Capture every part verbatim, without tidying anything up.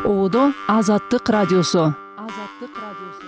Оодо Азаттык радиосу. Азаттык радиосу.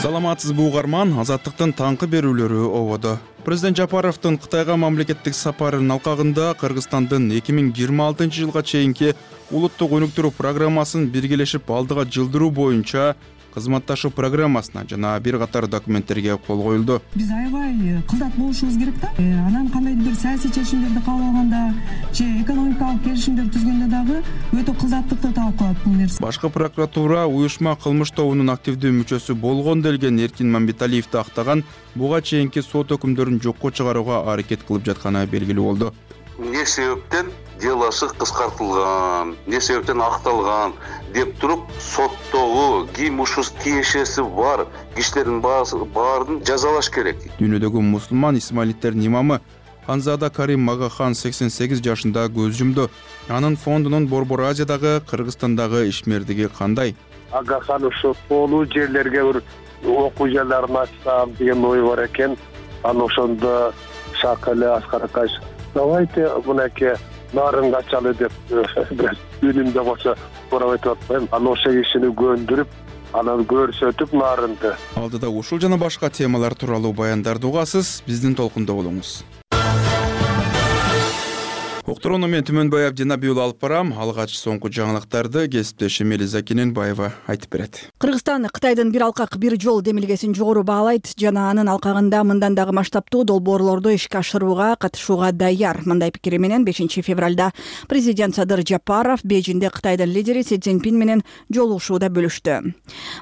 Саламатсызбы угарман, Азаттыктын таңкы берүүлөрү ободо. Президент Жапаровдун Кытайга мамлекеттик сапарынын алкагында Кыргызстандын эки миң жыйырма алтынчы жылга чейинки улуттук өнүктүрүү программасын биргелешип алдыга жылдыруу боюнча кызматташуу программасына жана бир катар документтерге кол коюлду. Биз аябай кылдат болушубуз керек да. Анан кандайдыр бир саясий чечимдерди кабыл алганда же экономикалык келишимдер түзгөндө дагы өтө кылдаттыкты талап кылат бул нерсе. Башкы прокуратура уюшма кылмыш тобунун активдүү мүчөсү болгон делген Эркин Мамбеталиевди актаган буга чейинки сот өкүмдөрүн жокко чыгарууга аракет кылып жатканы белгилүү болду. Не себептен делосы кыскартылган, не себептен акталган деп туруп соттогу ким ушул тиешеси бар кишилердин баарын жазалаш керек. Дүйнөдөгү мусулман исмаилиттердин имамы Ханзада Карим Магахан сексен сегиз жашында көз жумду. Анын фондунун Борбор Азиядагы, Кыргызстандагы ишмердиги кандай? Агахан ушу толуу жерлерге бир окуу жайларын ачсам деген ой бар экен. Аны ошондо Шакалы Аскар Акаш давайте мынакей нарын ачалы деп үнүмдө болсо сурап атпайм. Аны ошо кишини көндүрүп, анан көрсөтүп нарынды. Алдыда ушул жана башка темалар тууралуу баяндарды угасыз, биздин толкунда болуңуз. Уктурууну мен Түмөнбаев Жанабиул алып барам. Алгач соңку жаңылыктарды кесиптешим Элиза Кененбаева айтып берет. Кыргызстан Кытайдын бир алкак бир жол демилгесин жогору баалайт жана анын алкагында мындан дагы масштабтуу долбоорлорду ишке ашырууга катышууга даяр. Мындай пикири менен бешинчи февралда президент Садыр Жапаров Бейжиңде Кытайдын лидери Си Цзиньпин менен жолугушууда бөлүштү.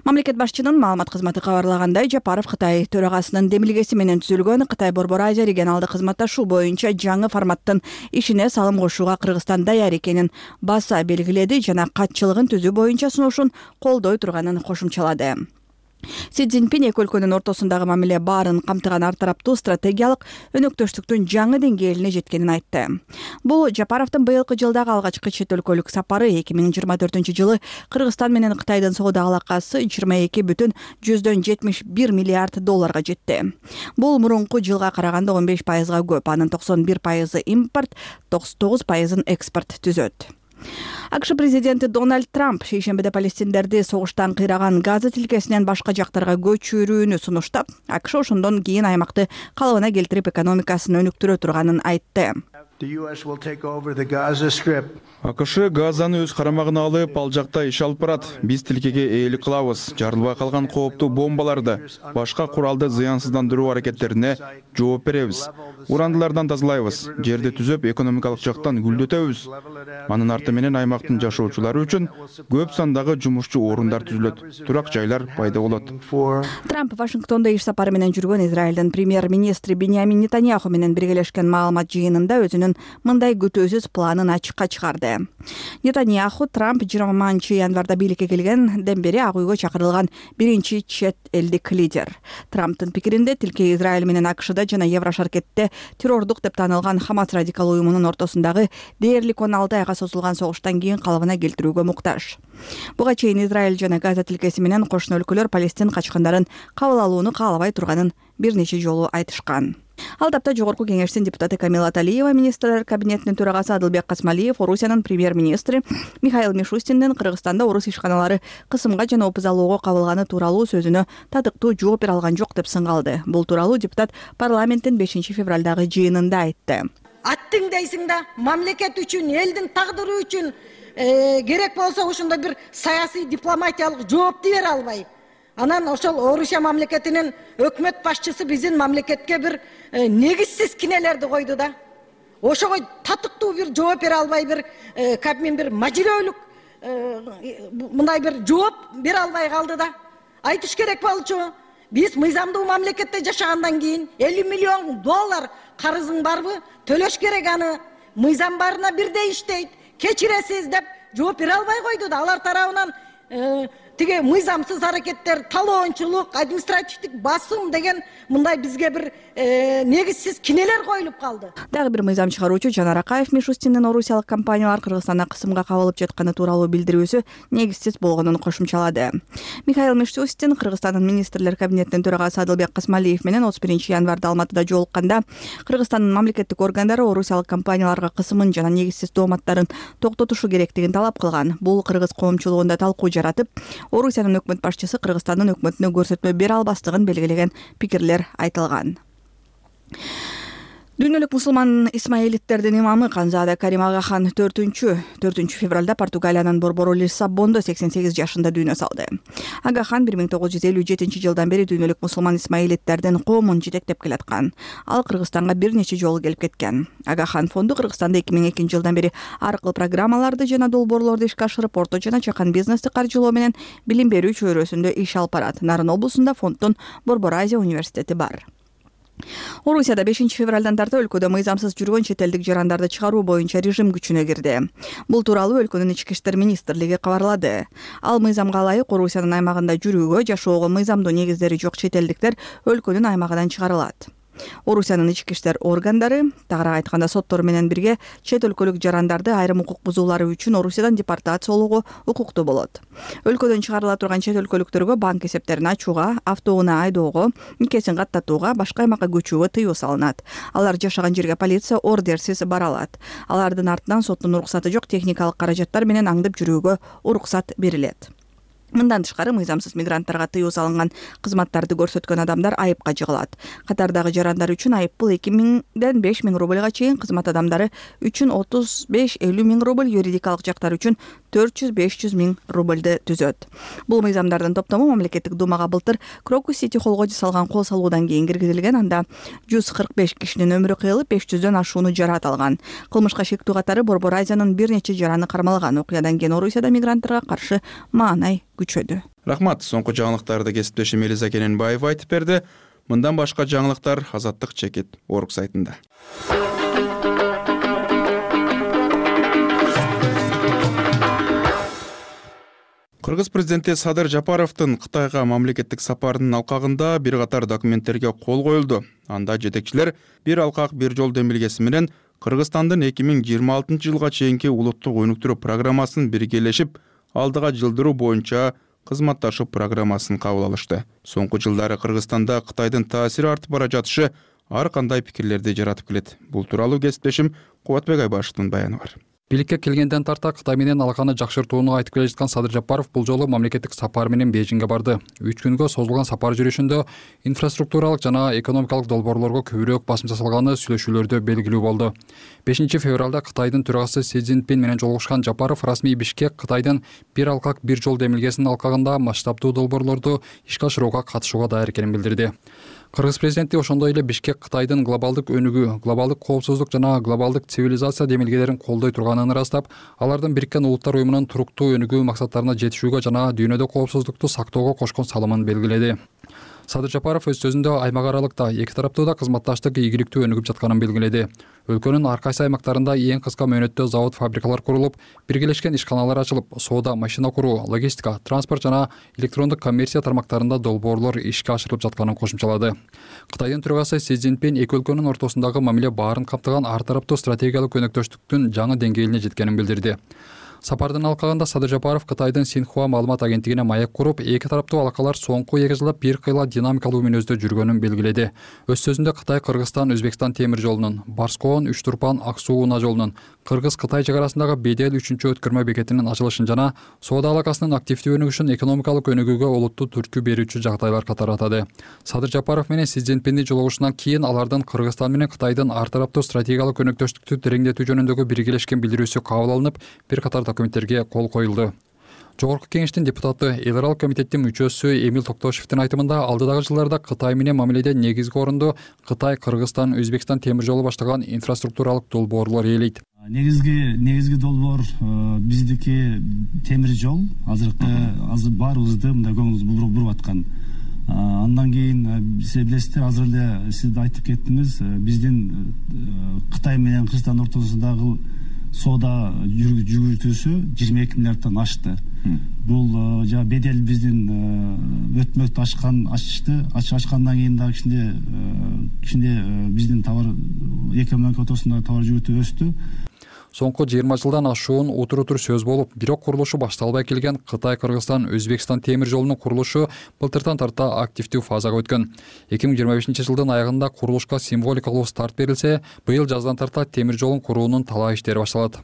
Мамлекет башчынын маалымат кызматы кабарлагандай, Жапаров Кытай төрагасынын демилгеси менен түзүлгөн Кытай Борбор Азия регионалдык кызматташуу боюнча жаңы форматтын ишине салым кошууга Кыргызстан даяр экенин баса белгиледи жана катчылыгын түзүү боюнча сунушун колдой турганын кошумчалады. Си Цзиньпин эки өлкөнүн ортосундагы мамиле баарын камтыган ар тараптуу стратегиялык өнөктөштүктүн жаңы деңгээлине жеткенин айтты. Бул Жапаровдун быйылкы жылдагы алгачкы чет өлкөлүк сапары. эки миң жыйырма төртүнчү жылы Кыргызстан менен Кытайдын соода алакасы жыйырма эки бүтүн жүздөн жетимиш бир миллиард долларга жетти. Бул мурунку жылга караганда он беш пайызга көп. Анын токсон бир пайызы импорт, токсон тогуз пайызын экспорт түзөт. АКШ президенти Дональд Трамп шейшембиде палестиндерди согуштан кыйраган Газа тилкесинен башка жактарга көчүрүүнү сунуштап, АКШ ошондон кийин аймакты калыбына келтирип экономикасын өнүктүрө турганын айтты. АКШ Газаны өз карамагына алып, ал жакта иш алып барат. Биз тилкеге ээлик кылабыз. Жарылбай калган кооптуу бомбаларды, башка куралды зыянсыздандыруу аракеттерине жооп беребиз. Урандылардан тазалайбыз. Жерди түзөп, экономикалык жактан гүлдөтөбүз. Анын арты менен аймактын жашоочулары үчүн көп сандагы жумушчу орундар түзүлөт, турак жайлар пайда болот. Трамп Вашингтондо иш сапары менен жүргөн Израилдин премьер-министри Биньямин Нетаньяху менен биргелешкен маалымат жыйынында өзүнүн мындай күтүүсүз планын ачыкка чыгарды. Нетаньяху Трамп жыйырманчы январда бийликке келгенден бери Ак үйгө чакырылган биринчи чет элдик лидер. Трамптын пикиринде тилке Израиль менен АКШда жана Еврошаркетте террордук деп таанылган Хамас радикал уюмунун ортосундагы дээрлик он алты айга созулган согуштан кийин калыбына келтирүүгө муктаж. Буга чейин Израиль жана Газа тилкеси менен кошуна өлкөлөр Палестин качкандарын кабыл алууну каалабай турганын бир нече жолу айтышкан. Ал тапта Жогорку кеңештин депутаты Камила Талиева, министрлер кабинетинин төрагасы Адылбек Касмалиев, Орусиянын премьер-министри Михаил Мишустиндин Кыргызстанда орус ишканалары кысымга жана опузалоого кабылганы тууралуу сөзүнө татыктуу жооп бере алган жок деп сыңгалды. Бул тууралуу депутат парламенттин бешинчи февралдагы жыйынында айтты. Аттың дейсиң да, мамлекет үчүн, элдин тагдыры үчүн керек болсо ошондой бир саясий дипломатиялык жоопту бере албай. Анан ошол Орусия мамлекетинин өкмөт башчысы биздин мамлекетке бир негизсиз кинелерди койду да. Ошого татыктуу бир жооп бере албай, бир кабмин бир мажирөлүк мындай бир жооп бере албай калды да. Айтыш керек болчу. Биз мыйзамдуу мамлекетте жашагандан кийин элүү миллион доллар карызың барбы? Төлөш керек аны. Мыйзам барына бирдей иштейт. Кечиресиз деп жооп бере албай койду да. Алар тарабынан тиги мыйзамсыз аракеттер, талоончулук, административдик басым деген мындай бизге бир негизсиз кинелер коюлуп калды. Дагы бир мыйзам чыгаруучу Жанар Акаев Мишустиндин орусиялык компаниялар Кыргызстанда кысымга кабылып жатканы тууралуу билдирүүсү негизсиз болгонун кошумчалады. Михаил Мишустин Кыргызстандын министрлер кабинетинин төрагасы Адылбек Касмалиев менен отуз биринчи январда Алматыда жолукканда Кыргызстандын мамлекеттик органдары орусиялык компанияларга кысымын жана негизсиз дооматтарын токтотушу керектигин талап кылган. Бул кыргыз коомчулугунда талкуу жаратып, Орусиянын өкмөт башчысы Кыргызстандын өкмөтүнө көрсөтмө бере албастыгын белгилеген пикирлер айтылган. Дүйнөлүк мусулман исмаилиттердин имамы Канзада Карим Агахан төртүнчү февралда Португалиянын борбору Лиссабондо сексен сегиз жашында дүйнө салды. Агахан бир миң тогуз жүз элүү жетинчи жылдан бери дүйнөлүк мусулман исмаилиттердин коомун жетектеп келаткан. Ал Кыргызстанга бир нече жолу келип кеткен. Агахан фонду Кыргызстанда эки миң экинчи жылдан бери ар кыл программаларды жана долбоорлорду ишке ашырып, орто жана чакан бизнести каржылоо менен билим берүү чөйрөсүндө иш алып барат. Нарын облусунда фонддун Борбор Азия университети бар. Орусияда бешинчи февралдан тарта өлкөдө мыйзамсыз жүргөн чет элдик жарандарды чыгаруу боюнча режим күчүнө кирди. Бул тууралуу өлкөнүн ички иштер министрлиги кабарлады. Ал мыйзамга ылайык Орусиянын аймагында жүрүүгө, жашоого мыйзамдуу негиздери жок чет элдиктер өлкөнүн аймагынан чыгарылат. Орусиянын ички иштер органдары, тагыраак айтканда соттор менен бирге чет өлкөлүк жарандарды айрым укук бузуулары үчүн Орусиядан депортациялоого укуктуу болот. Өлкөдөн чыгарыла турган чет өлкөлүктөргө банк эсептерин ачууга, автоунаа айдоого, никесин каттатууга, башка аймакка көчүүгө тыюу салынат. Алар жашаган жерге полиция ордерсиз бара алат. Алардын артынан соттун уруксаты жок техникалык каражаттар менен аңдып жүрүүгө уруксат берилет. Мындан тышкары мыйзамсыз мигранттарга тыюу салынган кызматтарды көрсөткөн адамдар айыпка жыгылат. Катардагы жарандар үчүн айыппул эки миңден беш миң рубльга чейин, кызмат адамдары үчүн отуз беш элүү миң рубль, юридикалык жактар үчүн төрт жүз беш жүз миң рубльды түзөт. Бул мыйзамдардын топтому мамлекеттик думага былтыр Крокус Сити холлго жасалган кол салуудан кийин киргизилген. Анда жүз кырк беш кишинин өмүрү кыйылып, беш жүздөн ашууну жараат алган. Кылмышка шектүү катары Борбор Азиянын бир нече жараны кармалган. Окуядан кийин Орусияда мигранттарга каршы маанай күчөдү. Рахмат. Соңку жаңылыктарды кесиптешим Элиза Кененбаева айтып берди. Мындан башка жаңылыктар Азаттык чекит орг сайтында. Кыргыз президенти Садыр Жапаровдун Кытайга мамлекеттик сапарынын алкагында бир катар документтерге кол коюлду. Анда жетекчилер бир алкак бир жол демилгеси менен Кыргызстандын эки миң жыйырма алтынчы жылга чейинки улуттук өнүктүрүү программасын биргелешип, алдыга жылдыруу боюнча кызматташуу программасын кабыл алышты. Соңку жылдары Кыргызстанда Кытайдын таасири артып бара жатышы ар кандай пикирлерди жаратып келет. Бул тууралуу кесиптешим Кубатбек Айбашевдин баяны бар. Бийликке келгенден тарта Кытай менен алаканы жакшыртууну айтып келе жаткан Садыр Жапаров бул жолу мамлекеттик сапар менен Бейжиңге барды. үч күнгө созулган сапар жүрүшүндө инфраструктуралык жана экономикалык долбоорлорго көбүрөөк басым жасалганы сүйлөшүүлөрдө белгилүү болду. бешинчи февралда Кытайдын төрагасы Си Цзиньпин менен жолугушкан Жапаров расмий Бишкек Кытайдын бир алкак бир жол демилгесинин алкагында масштабдуу долбоорлорду ишке ашырууга катышууга даяр экенин билдирди. Кыргыз президенти ошондой эле Бишкек Кытайдын глобалдык өнүгүү, глобалдык коопсуздук жана глобалдык цивилизация демилгелерин колдой турганын ырастап, алардын Бириккен Улуттар уюмунун туруктуу өнүгүү максаттарына жетишүүгө жана дүйнөдө коопсуздукту сактоого кошкон салымын белгиледи. Садыр Жапаров өз сөзүндө аймак аралыкта эки тараптуу да кызматташтык ийгиликтүү өнүгүп жатканын белгиледи. Өлкөнүн ар кайсы аймактарында эң кыска мөөнөттө завод, фабрикалар курулуп, биргелешкен ишканалар ачылып, соода, машина куруу, логистика, транспорт жана электрондук коммерция тармактарында долбоорлор ишке ашырылып жатканын кошумчалады. Кытайдын төрагасы Си Цзиньпин эки өлкөнүн ортосундагы мамиле баарын камтыган ар тараптуу стратегиялык өнөктөштүктүн жаңы деңгээлине жеткенин билдирди. Сапардын алкагында Садыр Жапаров Кытайдын Синхуа маалымат агенттигине маек куруп, эки тараптуу алакалар соңку эки жылда бир кыйла динамикалуу мүнөздө жүргөнүн белгиледи. Өз сөзүндө Кытай Кыргызстан Өзбекстан темир жолунун, Барскоон Үч Турпан Ак Суу унаа жолунун, Кыргыз-Кытай чек арасындагы Бедел үчүнчү өткөрмө бекетинин ачылышын жана соода алакасынын активдүү өнүгүшүн экономикалык өнүгүүгө олуттуу түрткү берүүчү жагдайлар катары атады. Садыр Жапаров менен Си Цзиньпиндин жолугушунан кийин алардын Кыргызстан менен Кытайдын ар тараптуу стратегиялык өнөктөштүктү тереңдетүү жөнүндөгү биргелешкен билдирүүсү кабыл алынып, бир катар документтерге кол коюлду. Жогорку кеңештин депутаты, эл аралык комитеттин мүчөсү Эмил Токтошевдин айтымында, алдыдагы жылдарда Кытай менен мамиледе негизги орунду Кытай, Кыргызстан, Өзбекстан темир жолу баштаган инфраструктуралык долбоорлор ээлейт. Негизги негизги долбоор биздики темир жол. Азыркы азыр баарыбызды мындай көңүлүбүз буруп аткан. Андан кийин сиз билесиздер, азыр эле сиз да айтып кеттиңиз, биздин Кытай менен Кыргызстан ортосундагы соода жүгүртүүсү жыйырма эки миллиарддан ашты. Бул жана бедел биздин өтмөктү ачкан ачты ачкандан кийин дагы кичине кичине биздин товар экономика ортосунда товар жүгүртүү өстү. Соңку жыйырма жылдан ашуун утур-утур сөз болуп, бирок курулушу башталбай келген Кытай, Кыргызстан, Өзбекстан темир жолунун курулушу былтыртан тарта активдүү фазага өткөн. эки миң жыйырма бешинчи жылдын аягында курулушка символикалуу старт берилсе, быйыл жаздан тарта темир жолун куруунун талаа иштери башталат.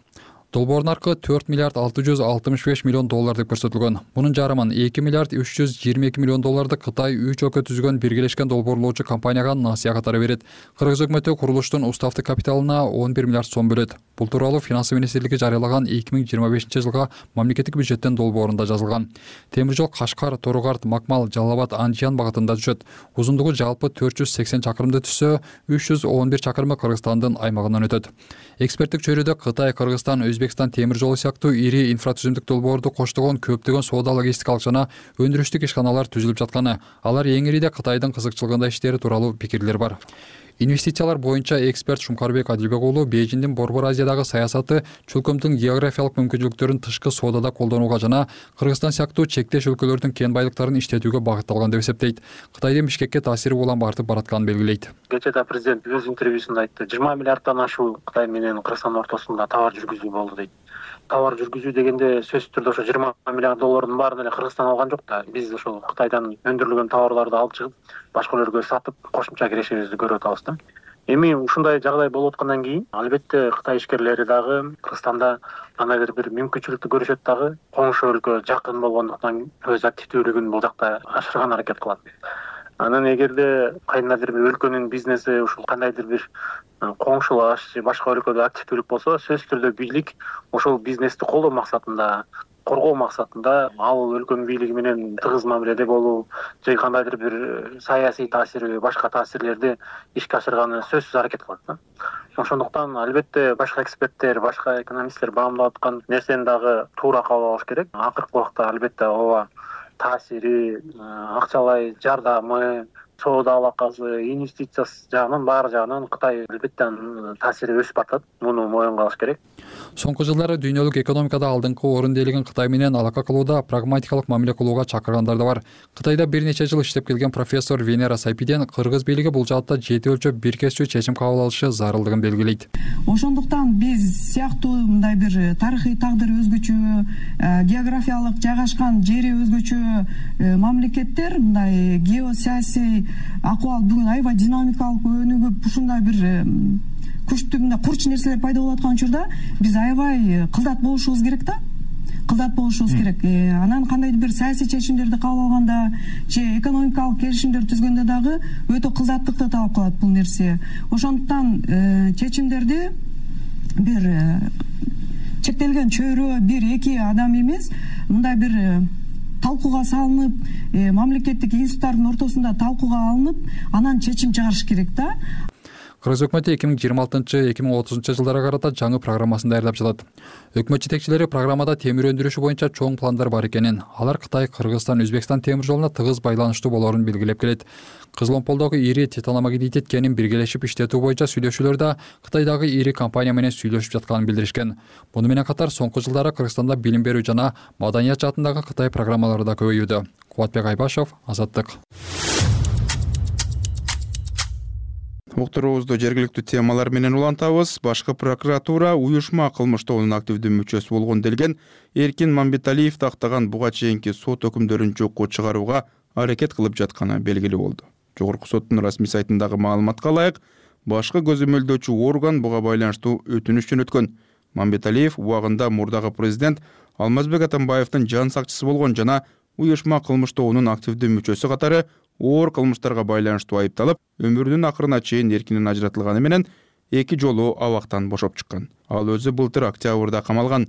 Долбоордун наркы төрт миллиард алты жүз алтымыш беш миллион доллар деп көрсөтүлгөн. Мунун жарымын эки миллиард үч жүз жыйырма эки миллион долларды Кытай үч өлкө түзгөн биргелешкен долбоорлоочу компанияга насыя катары берет. Кыргыз өкмөтү курулуштун уставдык капиталына он бир миллиард сом бөлөт. Бул тууралуу Финансы министрлиги жарыялаган эки миң жыйырма бешинчи жылга мамлекеттик бюджеттен долбоорунда жазылган. Темир жол Кашкар, Торугарт, Макмал, Жалал абад, Анжиян багытында түшөт. Узундугу жалпы төрт жүз сексен чакырымды түзсө, үч жүз он бир чакырымы Кыргызстандын аймагынан өтөт. Эксперттик чөйрөдө Кытай, Кыргызстан, Өзбекстан темир жолу сыяктуу ири инфратүзүмдүк долбоорду коштогон көптөгөн соода логистикалык жана өндүрүштүк ишканалар түзүлүп жатканы, алар эң ириде Кытайдын кызыкчылыгында иштери тууралуу пикирлер бар. Инвестициялар боюнча эксперт Шумкарбек Адилбек уулу Бейжиңдин Борбор Азиядагы саясаты чөлкөмдүн географиялык мүмкүнчүлүктөрүн тышкы соодада колдонууга жана Кыргызстан сыяктуу чектеш өлкөлөрдүн кен байлыктарын иштетүүгө багытталган деп эсептейт. Кытайдын Бишкекке таасири улам артып баратканын белгилейт. Кечээ президент өз интервьюсунда айтты, жыйырма миллиарддан ашуу Кытай менен Кыргызстан ортосунда товар жүргүзүү болду дейт. Товар жүргүзүү дегенде сөзсүз түрдө ошо жыйырма миллиард доллардын баарын эле Кыргызстан алган жок да. Биз ошол Кытайдан өндүрүлгөн товарларды алып чыгып, башка өлкөлөргө сатып, кошумча кирешибизди көрүп атабыз да. Эми ушундай жагдай болуп аткандан кийин, албетте Кытай ишкерлери дагы Кыргызстанда кандайдыр бир мүмкүнчүлүктү көрүшөт дагы, коңшу өлкө жакын болгондуктан өз активдүүлүгүн бул жакта ашырган аракет кылат. Анан эгерде кайдандыр бир өлкөнүн бизнеси ушул кандайдыр бир коңшулаш же башка өлкөдө активдүүлүк болсо, сөзсүз түрдө бийлик ошол бизнести колдоо максатында, коргоо максатында ал өлкөнүн бийлиги менен тыгыз мамиледе болуу же кандайдыр бир саясий таасир, башка таасирлерди ишке ашырганы сөзсүз аракет кылат да. Ошондуктан албетте башка эксперттер, башка экономисттер баамдап аткан нерсени дагы туура кабыл алыш керек. Акыркы убакта албетте ооба таасири, акчалай жардамы, соода алакасы, инвестиция жагынан баары жагынан Кытай албетте таасири өсүп атат. Муну моюнга алыш керек. Соңку жылдары дүйнөлүк экономикада алдыңкы орунду ээлеген Кытай менен алака кылууда прагматикалык мамиле кылууга чакыргандар да бар. Кытайда бир нече жыл иштеп келген профессор Венера Сайпиден Кыргыз бийлиги бул жаатта жети өлчөп бир кесүү чечим кабыл алышы зарылдыгын белгилейт. Ошондуктан биз сыяктуу мындай бир тарыхый тагдыры өзгөчө, географиялык жайгашкан жери өзгөчө мамлекеттер, мындай геосаясий акыбал бүгүн аябай динамикалык өнүгүп, ушундай бир күчтүү мындай курч нерселер пайда болуп аткан учурда биз аябай кылдат болушубуз керек да. Кылдат болушубуз керек. Анан кандайдыр бир саясий чечимдерди кабыл алганда же экономикалык келишимдер түзгөндө дагы өтө кылдаттыкты талап кылат бул нерсе. Ошондуктан чечимдерди бир чектелген чөйрө, бир эки адам эмес, мындай бир талкууга салынып, мамлекеттик институттардын ортосунда талкууга алынып, анан чечим чыгарыш керек да. Кыргыз өкмөтү эки миң жыйырма алтынчы эки миң отузунчу жылдарга карата жаңы программасын даярдап жатат. Өкмөт жетекчилери программада темир өндүрүшү боюнча чоң пландар бар экенин, алар Кытай, Кыргызстан, Өзбекстан темир жолуна тыгыз байланыштуу болоорун белгилеп келет. Кызыломполдогу ири титаномагнетит кенин биргелешип иштетүү боюнча сүйлөшүүлөрдө Кытайдагы ири компания менен сүйлөшүп жатканын билдиришкен. Муну менен катар соңку жылдары Кыргызстанда билим берүү жана маданият жаатындагы Кытай программалары да көбөйүүдө. Кубатбек Айбашев, Азаттык. Уктуруубузду жергиликтүү темалар менен улантабыз. Башкы прокуратура уюшма кылмыш тобунун активдүү мүчөсү болгон делген Эркин Мамбеталиев тактаган буга чейинки сот өкүмдөрүн жокко чыгарууга аракет кылып жатканы белгилүү болду. Жогорку соттун расмий сайтындагы маалыматка ылайык, башкы көзөмөлдөөчү орган буга байланыштуу өтүнүш жөнөткөн. Мамбеталиев убагында мурдагы президент Алмазбек Атамбаевдин жан сакчысы болгон жана уюшма кылмыш тобунун активдүү мүчөсү катары оор кылмыштарга байланыштуу айыпталып, өмүрүнүн акырына чейин эркинен ажыратылганы менен эки жолу абактан бошоп чыккан. Ал өзү былтыр октябрда камалган.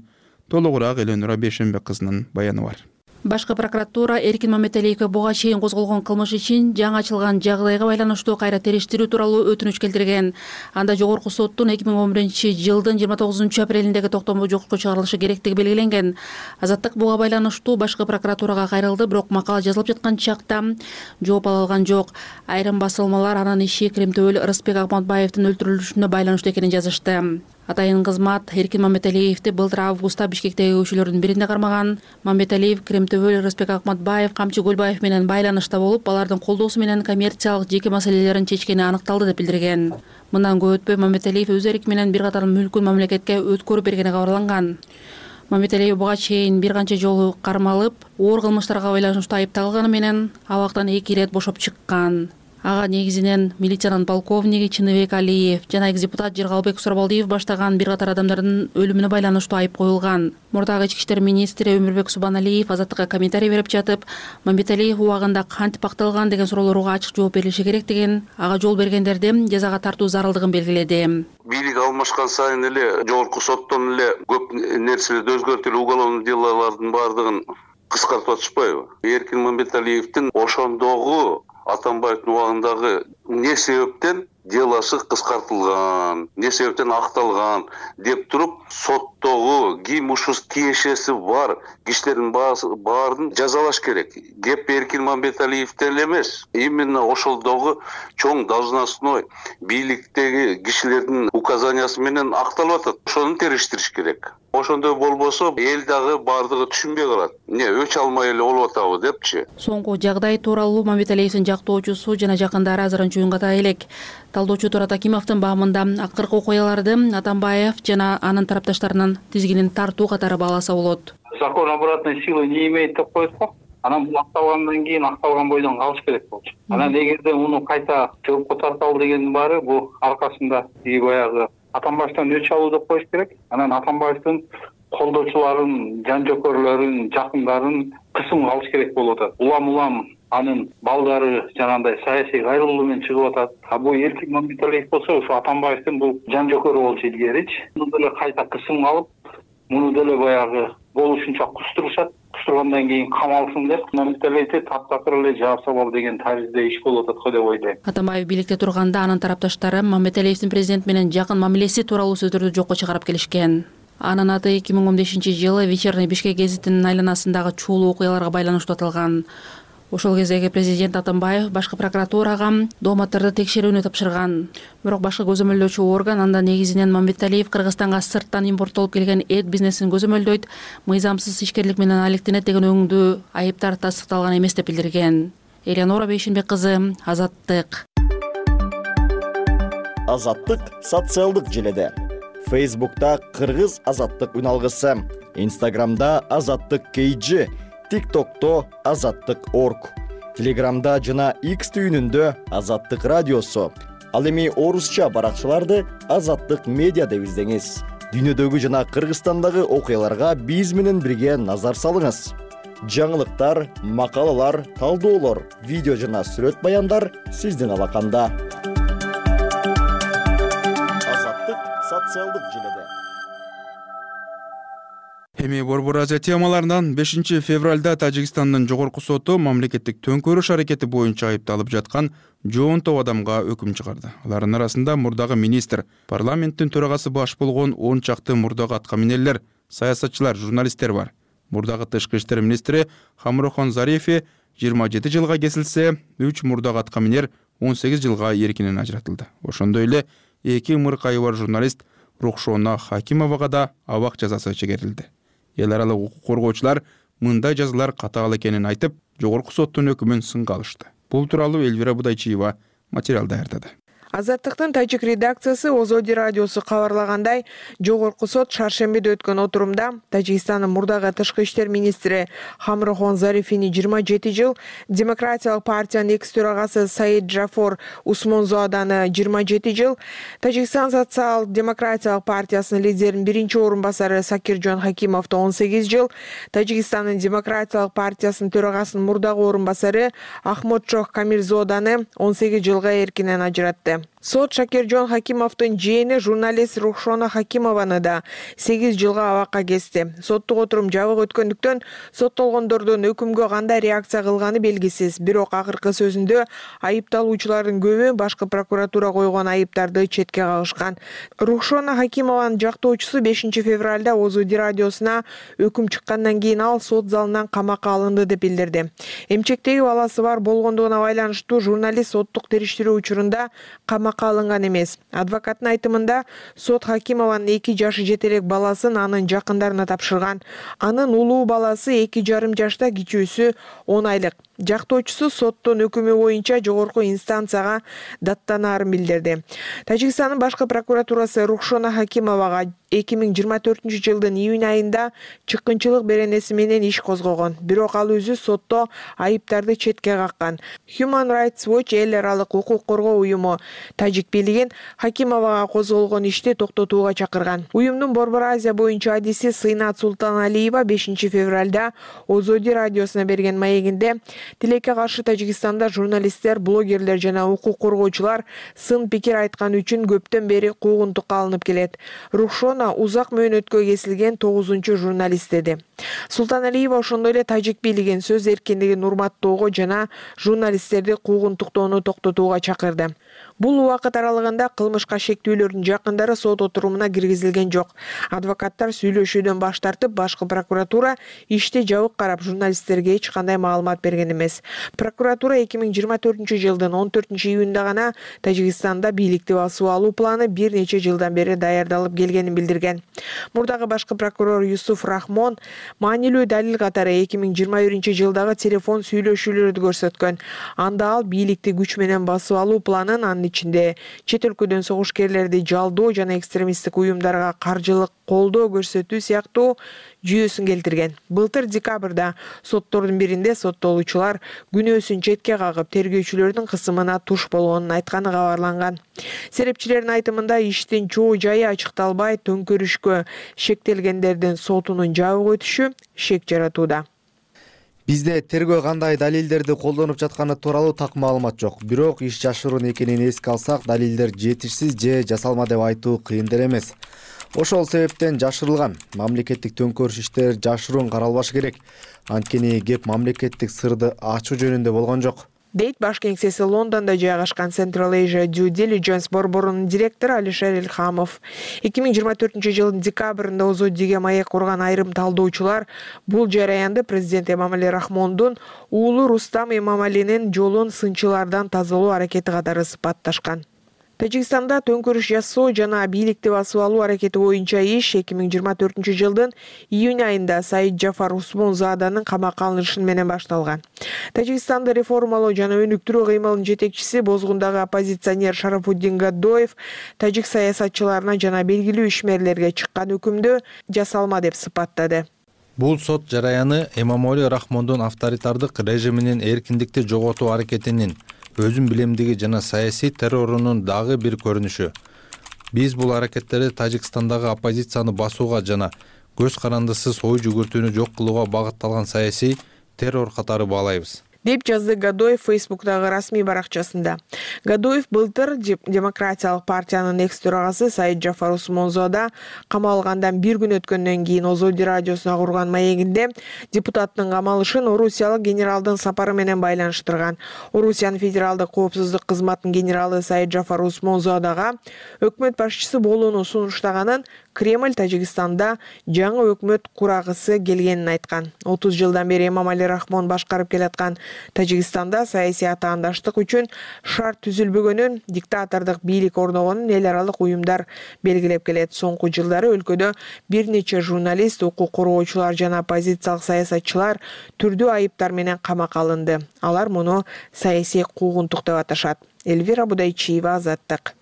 Толугураак Эленура Бешенбек кызынын баяны бар. Башкы прокуратура Эркин Мамбеталиевге буга чейин козголгон кылмыш ишин жаңы ачылган жагдайга байланыштуу кайра териштирүү тууралуу өтүнүч келтирген. Анда жогорку соттун эки миң он биринчи жылдын жыйырма тогузунчу апрелиндеги токтому жокко чыгарылышы керектиги белгиленген. Азаттык буга байланыштуу башкы прокуратурага кайрылды, бирок макала жазылып жаткан чакта жооп ала алган жок. Айрым басылмалар анын иши Кремтөбөл Рыспек Акматбаевдин өлтүрүлүшүнө байланыштуу экенин жазышты. Атайын кызмат Эркин Мамбеталиевди былтыр августта Бишкектеги көчөлөрдүн биринде кармаган. Мамбеталиев Кремтөбөл Рыспек Акматбаев, Камчы Көлбаев менен байланышта болуп, алардын колдоосу менен коммерциялык жеке маселелерин чечкени аныкталды деп билдирген. Мындан көп өтпөй Мамбеталиев өз эрки менен бир катар мүлкүн мамлекетке өткөрүп бергени кабарланган. Мамбеталиев буга чейин бир канча жолу кармалып, оор кылмыштарга байланыштуу айыпталганы менен абактан эки ирет бошоп чыккан. Ага негизинен милициянын полковниги Чыныбек Алиев жана экс-депутат Жыргалбек Сурабалдиев баштаган бир катар адамдардын өлүмүнө байланыштуу айып коюлган. Мурдагы ички иштер министри Өмүрбек Субаналиев азаттыкка комментарий берип жатып, Мамбеталиев убагында кантип акталган деген суроолорго ачык жооп берилиши керек деген, ага жол бергендерди жазага тартуу зарылдыгын белгиледи. Бийлик алмашкан сайын эле жогорку соттон эле көп нерселерди өзгөртүп, уголовный делолордун баардыгын кыскартып атышпайбы? Эркин Мамбеталиевдин ошондогу Атамбаевдин убагындагы эмне себептен делосы кыскартылган, эмне себептен акталган деп туруп, соттогу ким ушул тиешеси бар кишилердин баарын жазалаш керек. Кеп Эркин Мамбеталиевде эле эмес, именно ошолдогу чоң должностной бийликтеги кишилердин указаниясы менен акталып атат. Ошону териштириш керек. Ошондой болбосо эл дагы баардыгы түшүнбөй калат. Эмне өч алмай эле болуп атабы депчи. Соңку жагдай тууралуу Мамбеталиевдин жактоочусу жана жакындары азырынча үн ката элек. Талдоочу Турат Акимовдун баамында акыркы окуяларды Атамбаев жана анын тарапташтарынын тизгинин тартуу катары бааласа болот. Закон обратной силы не имеет деп коет го. Анан бул акталгандан кийин акталган бойдон калыш керек болчу. Анан эгерде муну кайта жоопко тарталы дегендин баары бул аркасында баягы Атамбаевден өч алуу деп коюш керек. Анан Атамбаевдин колдоочуларын, жан жокөрлөрүн, жакындарын кысымга алыш керек болуп атат. Улам-улам анын балдары жанагындай саясий кайрылуу менен чыгып атат. А бул Эркин Мамбеталиев болсо ушу Атамбаевдин бул жан жокөрү болчу илгеричи. Муну деле кайта кысымга алып, муну деле баягы болушунча кустурушат. Кустургандан кийин камалсын деп Мамбеталиевди таптакыр эле жаап салалы деген таризде иш болуп атат го деп ойлойм. Атамбаев бийликте турганда анын тарапташтары Мамбеталиевдин президент менен жакын мамилеси тууралуу сөздөрдү жокко чыгарып келишкен. Анын аты эки миң он бешинчи жылы Вечерний Бишкек гезитинин айланасындагы чуулуу окуяларга байланыштуу аталган. Ошол кездеги президент Атамбаев башкы прокуратурага дооматтарды текшерүүнү тапшырган. Бирок башкы көзөмөлдөөчү орган анда негизинен Мамбеталиев Кыргызстанга сырттан импорттолуп келген эт бизнесин көзөмөлдөйт, мыйзамсыз ишкерлик менен алектенет деген өңдүү айыптар тастыкталган эмес деп билдирген. Элеонора Бейшенбек кызы, Азаттык. Азаттык социалдык желеде. Фейсбукта Кыргыз Азаттык үналгысы, Инстаграмда Азаттык кей джи, ТикТокто Азаттык орг, Телеграмда жана X түйүнүндө Азаттык радиосу. Ал эми орусча баракчаларды Азаттык медиа деп издеңиз. Дүйнөдөгү жана Кыргызстандагы окуяларга биз менен бирге назар салыңыз. Жаңылыктар, макалалар, талдоолор, видео жана сүрөт баяндар сиздин алаканда. Азаттык социалдык желеде. Эми Борбор Азия темаларынан бешинчи февралда Тажикстандын жогорку соту мамлекеттик төңкөрүш аракети боюнча айыпталып жаткан жоон топ адамга өкүм чыгарды. Алардын арасында мурдагы министр, парламенттин төрагасы баш болгон он чакты мурдагы аткаминерлер, саясатчылар, журналисттер бар. Мурдагы тышкы иштер министри Хамрохон Зарифи жыйырма жети жылга кесилсе, үч мурдагы аткаминер он сегиз жылга эркинен ажыратылды. Ошондой эле эки мыркайы бар журналист Рухшона Хакимовага да абак жазасы чегерилди. Эл аралык укук коргоочулар мындай жазалар катаал экенин айтып, жогорку соттун өкүмүн сынга алышты. Бул тууралуу Эльвира Будайчиева материал даярдады. Азаттыктын тажик редакциясы Озоди радиосу кабарлагандай, жогорку сот шаршембиде өткөн отурумда Тажикстандын мурдагы тышкы иштер министри Хамрохон Зарифини жыйырма жети жыл, Демократиялык партиянын экс төрагасы Саид Джафор Усмонзоаданы жыйырма жети жыл, Тажикстан социал-демократиялык партиясынын лидеринин биринчи орун басары Сакиржон Хакимовду он сегиз жыл, Тажикстандын Демократиялык партиясынын төрагасынын мурдагы орун басары Ахмодчох Камирзоданы он сегиз жылга эркинен ажыратты. Сот Шакиржон Хакимовдун жээни журналист Рухшона Хакимованы да сегиз жылга абакка кести. Соттук отурум жабык өткөндүктөн соттолгондордун өкүмгө кандай реакция кылганы белгисиз. Бирок акыркы сөзүндө айыпталуучулардын көбү башкы прокуратура койгон айыптарды четке кагышкан. Рухшона Хакимованын жактоочусу бешинчи февралда Озоди радиосуна өкүм чыккандан кийин ал сот залынан камакка алынды деп билдирди. Эмчектеги баласы бар болгондугуна байланыштуу журналист соттук териштирүү учурунда камакка камакка алынган эмес. Адвокаттын айтымында сот Хакимованын эки жашы жете элек баласын анын жакындарына тапшырган. Анын улуу баласы эки жарым жашта, кичүүсү он айлык. Жактоочусу соттун өкүмү боюнча жогорку инстанцияга даттанаарын билдирди. Тажикстандын башкы прокуратурасы Рухшона Хакимовага эки миң жыйырма төртүнчү жылдын июнь айында чыккынчылык беренеси менен иш козгогон. Бирок ал өзү сотто айыптарды четке каккан. Human Rights Watch эл аралык укук коргоо уюму тажик бийлигин Хакимовага козголгон ишти токтотууга чакырган. Уюмдун Борбор Азия боюнча адиси Сыйнат Султаналиева бешинчи февралда Озоди радиосуна берген маегинде тилекке каршы Тажикстанда журналисттер, блогерлер жана укук коргоочулар сын пикир айткан үчүн көптөн бери куугунтукка алынып келет. Рухшона узак мөөнөткө кесилген тогузунчу журналист деди. Султаналиева ошондой эле тажик бийлигин сөз эркиндигин урматтоого жана журналисттерди куугунтуктоону токтотууга чакырды. Бул убакыт аралыгында кылмышка шектүүлөрдүн жакындары сот отурумуна киргизилген жок. Адвокаттар сүйлөшүүдөн баш тартып, башкы прокуратура ишти жабык карап, журналисттерге эч кандай маалымат берген эмес. Прокуратура эки миң жыйырма төртүнчү жылдын он төртүнчү июнда гана Тажикстанда бийликти басып алуу планы бир нече жылдан бери даярдалып келгенин билдирген. Мурдагы башкы прокурор Юсуф Рахмон маанилүү далил катары эки миң жыйырма биринчи жылдагы телефон сүйлөшүүлөрдү көрсөткөн. Анда ал бийликти күч менен басып алуу планын, анын ичинде чет өлкөдөн согушкерлерди жалдоо жана экстремисттик уюмдарга каржылык колдоо көрсөтүү сыяктуу жүйөсүн келтирген. Былтыр декабрда соттордун биринде соттолуучулар күнөөсүн четке кагып, тергөөчүлөрдүн кысымына туш болгонун айтканы кабарланган. Серепчилердин айтымында иштин чоо жайы ачыкталбай, төңкөрүшкө шектелгендердин сотунун жабык өтүшү шек жаратууда. Бизде тергөө кандай далилдерди колдонуп жатканы тууралуу так маалымат жок. Бирок иш жашыруун экенин эске алсак, далилдер жетишсиз же жасалма деп айтуу кыйын деле эмес. Ошол себептен жашырылган мамлекеттик төңкөрүш иштер жашыруун каралбашы керек. Анткени кеп мамлекеттик сырды ачуу жөнүндө болгон жок, дейт баш кеңсеси Лондондо жайгашкан Central Asia Due Diligence борборунун директору Алишер Илхамов. эки миң жыйырма төртүнчү жылдын декабрында Озодиге маек курган айрым талдоочулар бул жараянды президент Эмомали Рахмондун уулу Рустам Эмомалинин жолун сынчылардан тазалоо аракети катары сыпатташкан. Тажикстанда төңкөрүш жасоо жана бийликти басып алуу аракети боюнча иш эки миң жыйырма төртүнчү жылдын июнь айында Саид Джафар Усмонзаданын камакка алынышы менен башталган. Тажикстанды реформалоо жана өнүктүрүү кыймылынын жетекчиси, бозгундагы оппозиционер Шарафуддин Гадоев тажик саясатчыларына жана белгилүү ишмерлерге чыккан өкүмдү жасалма деп сыпаттады. Бул сот жараяны Эмомали Рахмондун авторитардык режиминин эркиндикти жоготуу аракетинин, өзүн билемдиги жана саясий террорунун дагы бир көрүнүшү. Биз бул аракеттерди Тажикстандагы оппозицияны басууга жана көз карандысыз ой жүгүртүүнү жок кылууга багытталган саясий террор катары баалайбыз, деп жазды Гадоев Фейсбуктагы расмий баракчасында. Гадоев былтыр Демократиялык партиянын экс төрагасы Саид Джафар Усмонзода камалгандан бир күн өткөндөн кийин Озоди радиосуна курган маегинде депутаттын камалышын Орусиялык генералдын сапары менен байланыштырган. Орусиянын федералдык коопсуздук кызматынын генералы Саид Джафар Усмонзодага өкмөт башчысы болууну сунуштаганын, Кремль Тажикстанда жаңы өкмөт курагысы келгенин айткан. отуз жылдан бери Эмомали Рахмон башкарып келаткан Тажикстанда саясий атаандаштык үчүн шарт түзүлбөгөнүн, диктатордук бийлик орногонун эл аралык уюмдар белгилеп келет. Соңку жылдары өлкөдө бир нече журналист, укук коргоочулар жана оппозициялык саясатчылар түрдүү айыптар менен камакка алынды. Алар муну саясий куугунтук деп аташат. Эльвира Будайчиева, Азаттык.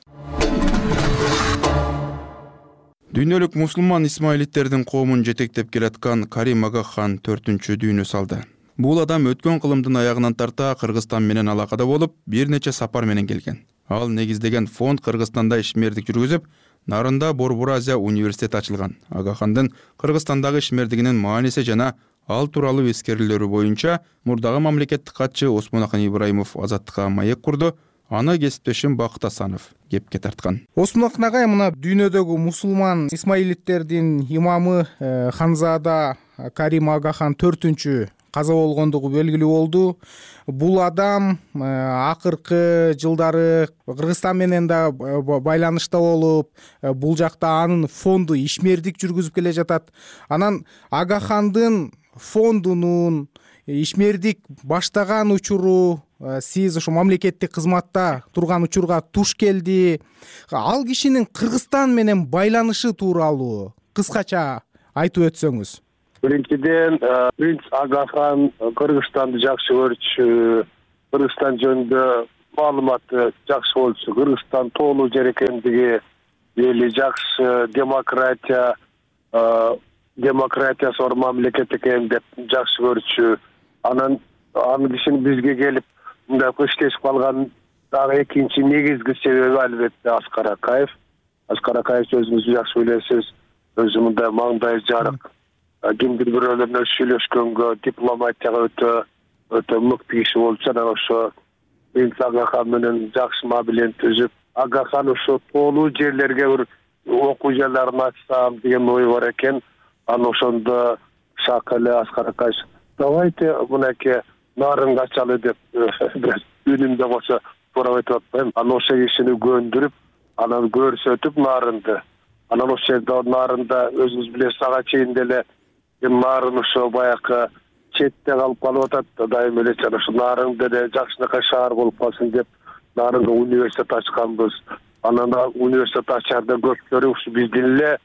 Дүйнөлүк мусулман исмаилиттердин коомун жетектеп келаткан Карим Агахан төртүнчү дүйнө салды. Бул адам өткөн кылымдын аягынан тарта Кыргызстан менен алакада болуп, бир нече сапар менен келген. Ал негиздеген фонд Кыргызстанда ишмердик жүргүзүп, Нарында Борбор Азия университети ачылган. Агахандын Кыргызстандагы ишмердигинин мааниси жана ал тууралуу эскерүүлөрү боюнча мурдагы мамлекеттик катчы Осмонакан Ибраимов Азаттыкка маек курду. Аны кесиптешим Бакыт Асанов кепке тарткан. Осмонакан агай мына дүйнөдөгү мусулман исмаилиттердин имамы Ханзада Карим Агахан төртүнчү каза болгондугу белгилүү болду. Бул адам акыркы жылдары Кыргызстан менен да байланышта болуп, бул жакта анын фонду ишмердик жүргүзүп келе жатат. Анан Агахандын фондунун ишмердик баштаган учуру сиз ошо мамлекеттик кызматта турган учурга туш келди. Ал кишинин Кыргызстан менен байланышы тууралуу кыскача айтып өтсөңүз. Биринчиден, принц Агахан Кыргызстанды жакшы көрчү, Кыргызстан жөнүндө маалыматы жакшы болчу, Кыргызстан тоолуу жер экендиги, эли жакшы, демократия, демократиясы бар мамлекет экен деп жакшы көрчү. Анан аны кишинин бизге келип мындай көчтешип калган дагы экинчи негизги себеби албетте Аскар Акаев. Аскар Акаев өзүңүз жакшы билесиз, өзү мындай маңдай жарык, кимдир бирөөлөр менен сүйлөшкөнгө, дипломатияга өтө өтө мыкты киши болчу. Анан ошо принц Агахан менен жакшы мабилет түзүп, Агахан ошо тоолуу жерлерге бир окуу жайларын ачсам деген ой бар экен. Аны ошондо Шакалы Аскар Акаев давайте мынакей нарынга ачалы деп үнүмдө кошо туурап айтып атпайм. Анан ошо кишини көндүрүп, анан көрсөтүп нарынды. Анан ошол жерде нарында өзүңүз билесиз, ага чейин деле нарын ошо баягы четте калып калып атат. Дайым эле ошо нарын деле жакшынакай шаар болуп калсын деп нарынга университет ачканбыз. Анан университет ачарда көптөрү ушу биздин эле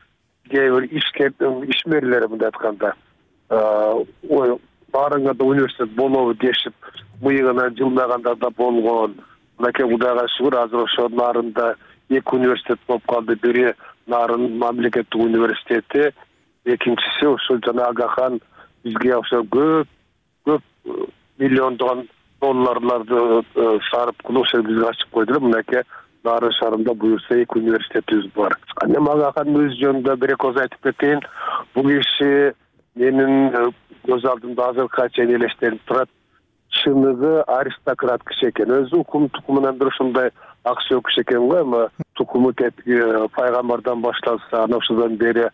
кээ бир ишкер ишмерлер мындай айтканда ой нарынга да университет болобу дешип мыйыгынан жылмагандар да болгон. Мынакей Кудайга шүгүр, азыр ошо нарында эки университет болуп калды. Бири Нарын мамлекеттик университети, экинчиси ошо жана Агахан бизге ошо көп көп миллиондогон долларларды сарып кылып ошо бизге ачып койдулар. Мынакей Нарын шаарында буюрса эки университетибиз бар. Анан Агахан өз жөнүндө бир эки ооз айтып кетейин. Бул киши менин көз алдымда азыркыга чейин элестенип турат. Чыныгы аристократ киши экен. Өзү укум тукумунан бир ушундай ак сөөк киши экен го. Эми тукуму тетиги пайгамбардан башталса, анан ошодон бери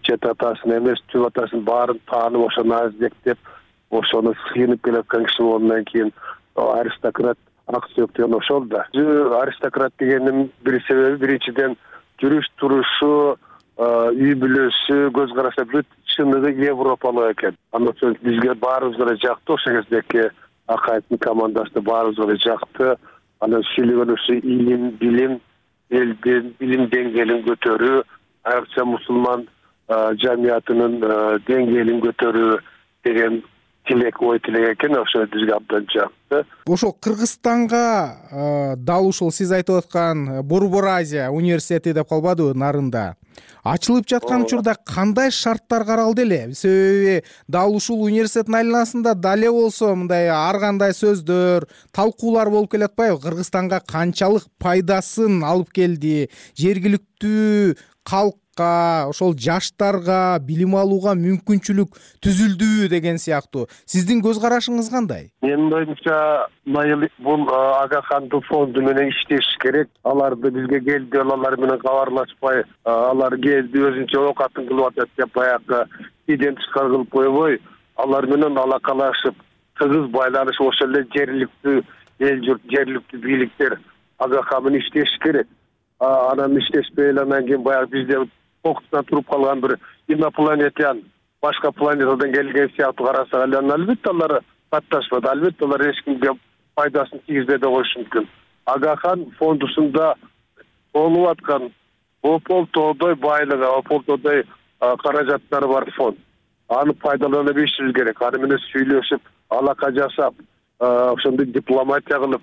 чет атасын эмес, түп атасын баарын таанып, ошону аздектеп, ошону сыйынып келаткан киши болгондон кийин аристократ ак сөөк деген ошол да. Аристократ дегенин бир себеби биринчиден жүрүш турушу, үй бүлөсү, көз карашы бүт чыныгы европалык экен. Анан бизге баарыбызга да жакты, ошол кездеги Акаевдин командасы баарыбызга да жакты. Анан сүйлөгөн ушу илим, билим, элдин билим деңгээлин көтөрүү, айрыкча мусулман жамиятынын деңгээлин көтөрүү деген тилек ой тилек экен. Ошо бизге абдан жакты. Ошол Кыргызстанга дал ушул сиз айтып аткан Борбор Азия университети деп калбадыбы Нарында? Ачылып жаткан учурда кандай шарттар каралды эле? Себеби дал ушул университеттин айланасында дале болсо мындай ар кандай сөздөр, талкуулар болуп келатпайбы? Кыргызстанга канчалык пайдасын алып келди? Жергиликтүү калкка, ошол жаштарга билим алууга мүмкүнчүлүк түзүлдүбү деген сыяктуу. Сиздин көз карашыңыз кандай? Менин оюмча, бул Агахандын фонду менен иштеш керек. Аларды бизге келди, алар менен кабарлашпай, алар келди өзүнчө оокатын кылып атат деп баягы иден тышкары кылып койбой, алар менен алакалашып, тыгыз байланышып, ошол эле жергиликтүү эл журт, жергиликтүү бийликтер Агахан менен иштеш керек. Анан иштешпей эле анан кийин баягы бизде кокустан туруп калган бир инопланетян, башка планетадан келген сыяктуу карасак эле, албетте алар катташпады, албетте алар эч кимге пайдасын тийгизбей да коюшу мүмкүн. Агахан фондусунда болуп аткан ополтоодой байлыгы, ополтоодой каражаттары бар фонд. Аны пайдалана билишибиз керек. Аны менен сүйлөшүп, алака жасап, ошондой дипломатия кылып,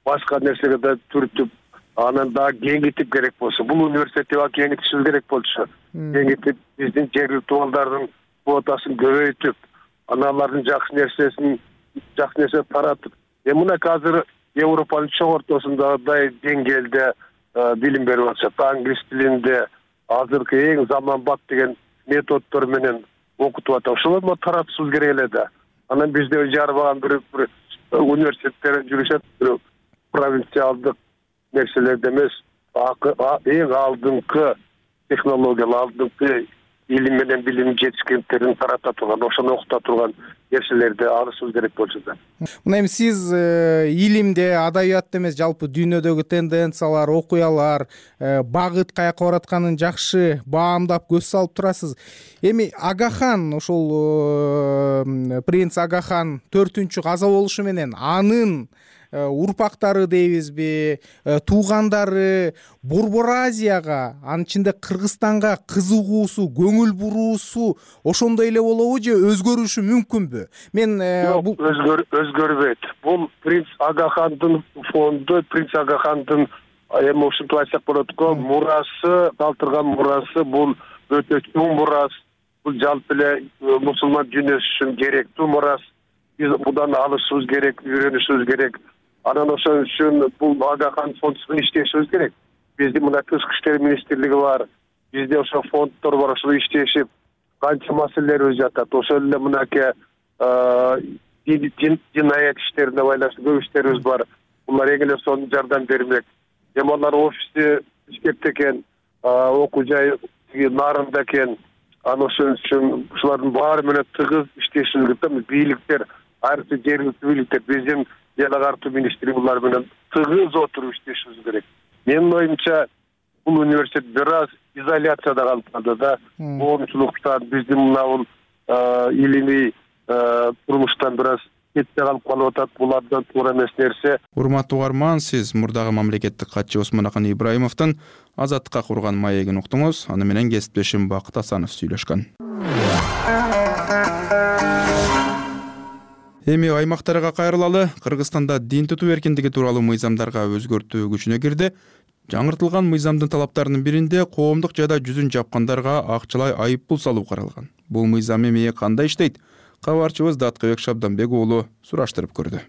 башка нерсеге да түртүп, анан дагы кеңейтип керек болсо, бул университетти кеңейтишибиз керек болчу. Кеңейтип, биздин жергиликтүү балдардын квотасын көбөйтүп, анан алардын жакшы нерсесин, жакшы нерсе таратып. Эми мына азыр Европанын чоң ортосундагыдай деңгээлде билим берип атышат. Англис тилинде азыркы эң заманбап деген методдор менен окутуп атат. Ошолорду таратышыбыз керек эле да. Анан бизде жарбаган бир университеттер жүрүшөт, бир провинциалдык нерселерде эмес, эң алдыңкы технологиялар, алдыңкы илим менен билим жетишкендиктерин тарата турган, ошону окута турган нерселерди алышыбыз керек болчу да. Мына эми сиз илимде, адабиятта эмес, жалпы дүйнөдөгү тенденциялар, окуялар, багыт каяка баратканын жакшы баамдап көз салып турасыз. Эми Агахан, ошол принц Агахан төртүнчү каза болушу менен анын урпактары дейбизби, туугандары Борбор Азияга, анын ичинде Кыргызстанга кызыгуусу, көңүл буруусу ошондой эле болобу же өзгөрүшү мүмкүнбү? Мен бул өзгөрбөйт. Бул принц Агахандын фонду, принц Агахандын эми ушинтип айтсак болот го, мурасы, калтырган мурасы бул өтө чоң мурас. Бул жалпы эле мусулман дүйнөсү үчүн керектүү мурас. Биз будан алышыбыз керек, үйрөнүшүбүз керек. Анан ошон үчүн бул Агахан фонду менен иштешибиз керек. Биздин мына тышкы иштер министрлиги бар, бизде ошо фонддор бар, ошол иштешип канча маселелерибиз жатат. Ошол эле мынакей динаят иштерине байланыштуу көп иштерибиз бар. Булар эң эле сонун жардам бермек. Эми алар офиси Бишкекте экен, окуу жай Нарында экен. Анан ошон үчүн ушулардын баары менен тыгыз иштешибиз керек. Бийликтер, айрыкча жергиликтүү бийликтер, биздин эл агартуу министрлиги булар менен тыгыз отуруп иштешибиз керек. Менин оюмча бул университет бир аз изоляцияда калды да. Коомчулуктан, биздин мына бул илимий турмуштан бир аз кетте калып калып атат. Булардан туура эмес нерсе. Урматтуу угарман, сиз мурдагы мамлекеттик катчы Осмонахан Ибраимовдун Азаттыкка курган маегин уктуңуз. Аны менен кесиптешим Бакыт Асанов сүйлөшкөн. Эми аймактарга кайрылалы. Кыргызстанда дин тутуу эркиндиги тууралуу мыйзамдарга өзгөртүү күчүнө кирди. Жаңыртылган мыйзамдын талаптарынын биринде коомдук жайда жүзүн жапкандарга акчалай айып пул салуу каралган. Бул мыйзам эми кандай иштейт? Кабарчыбыз Даткыбек Шабданбек уулу сураштырып көрдү.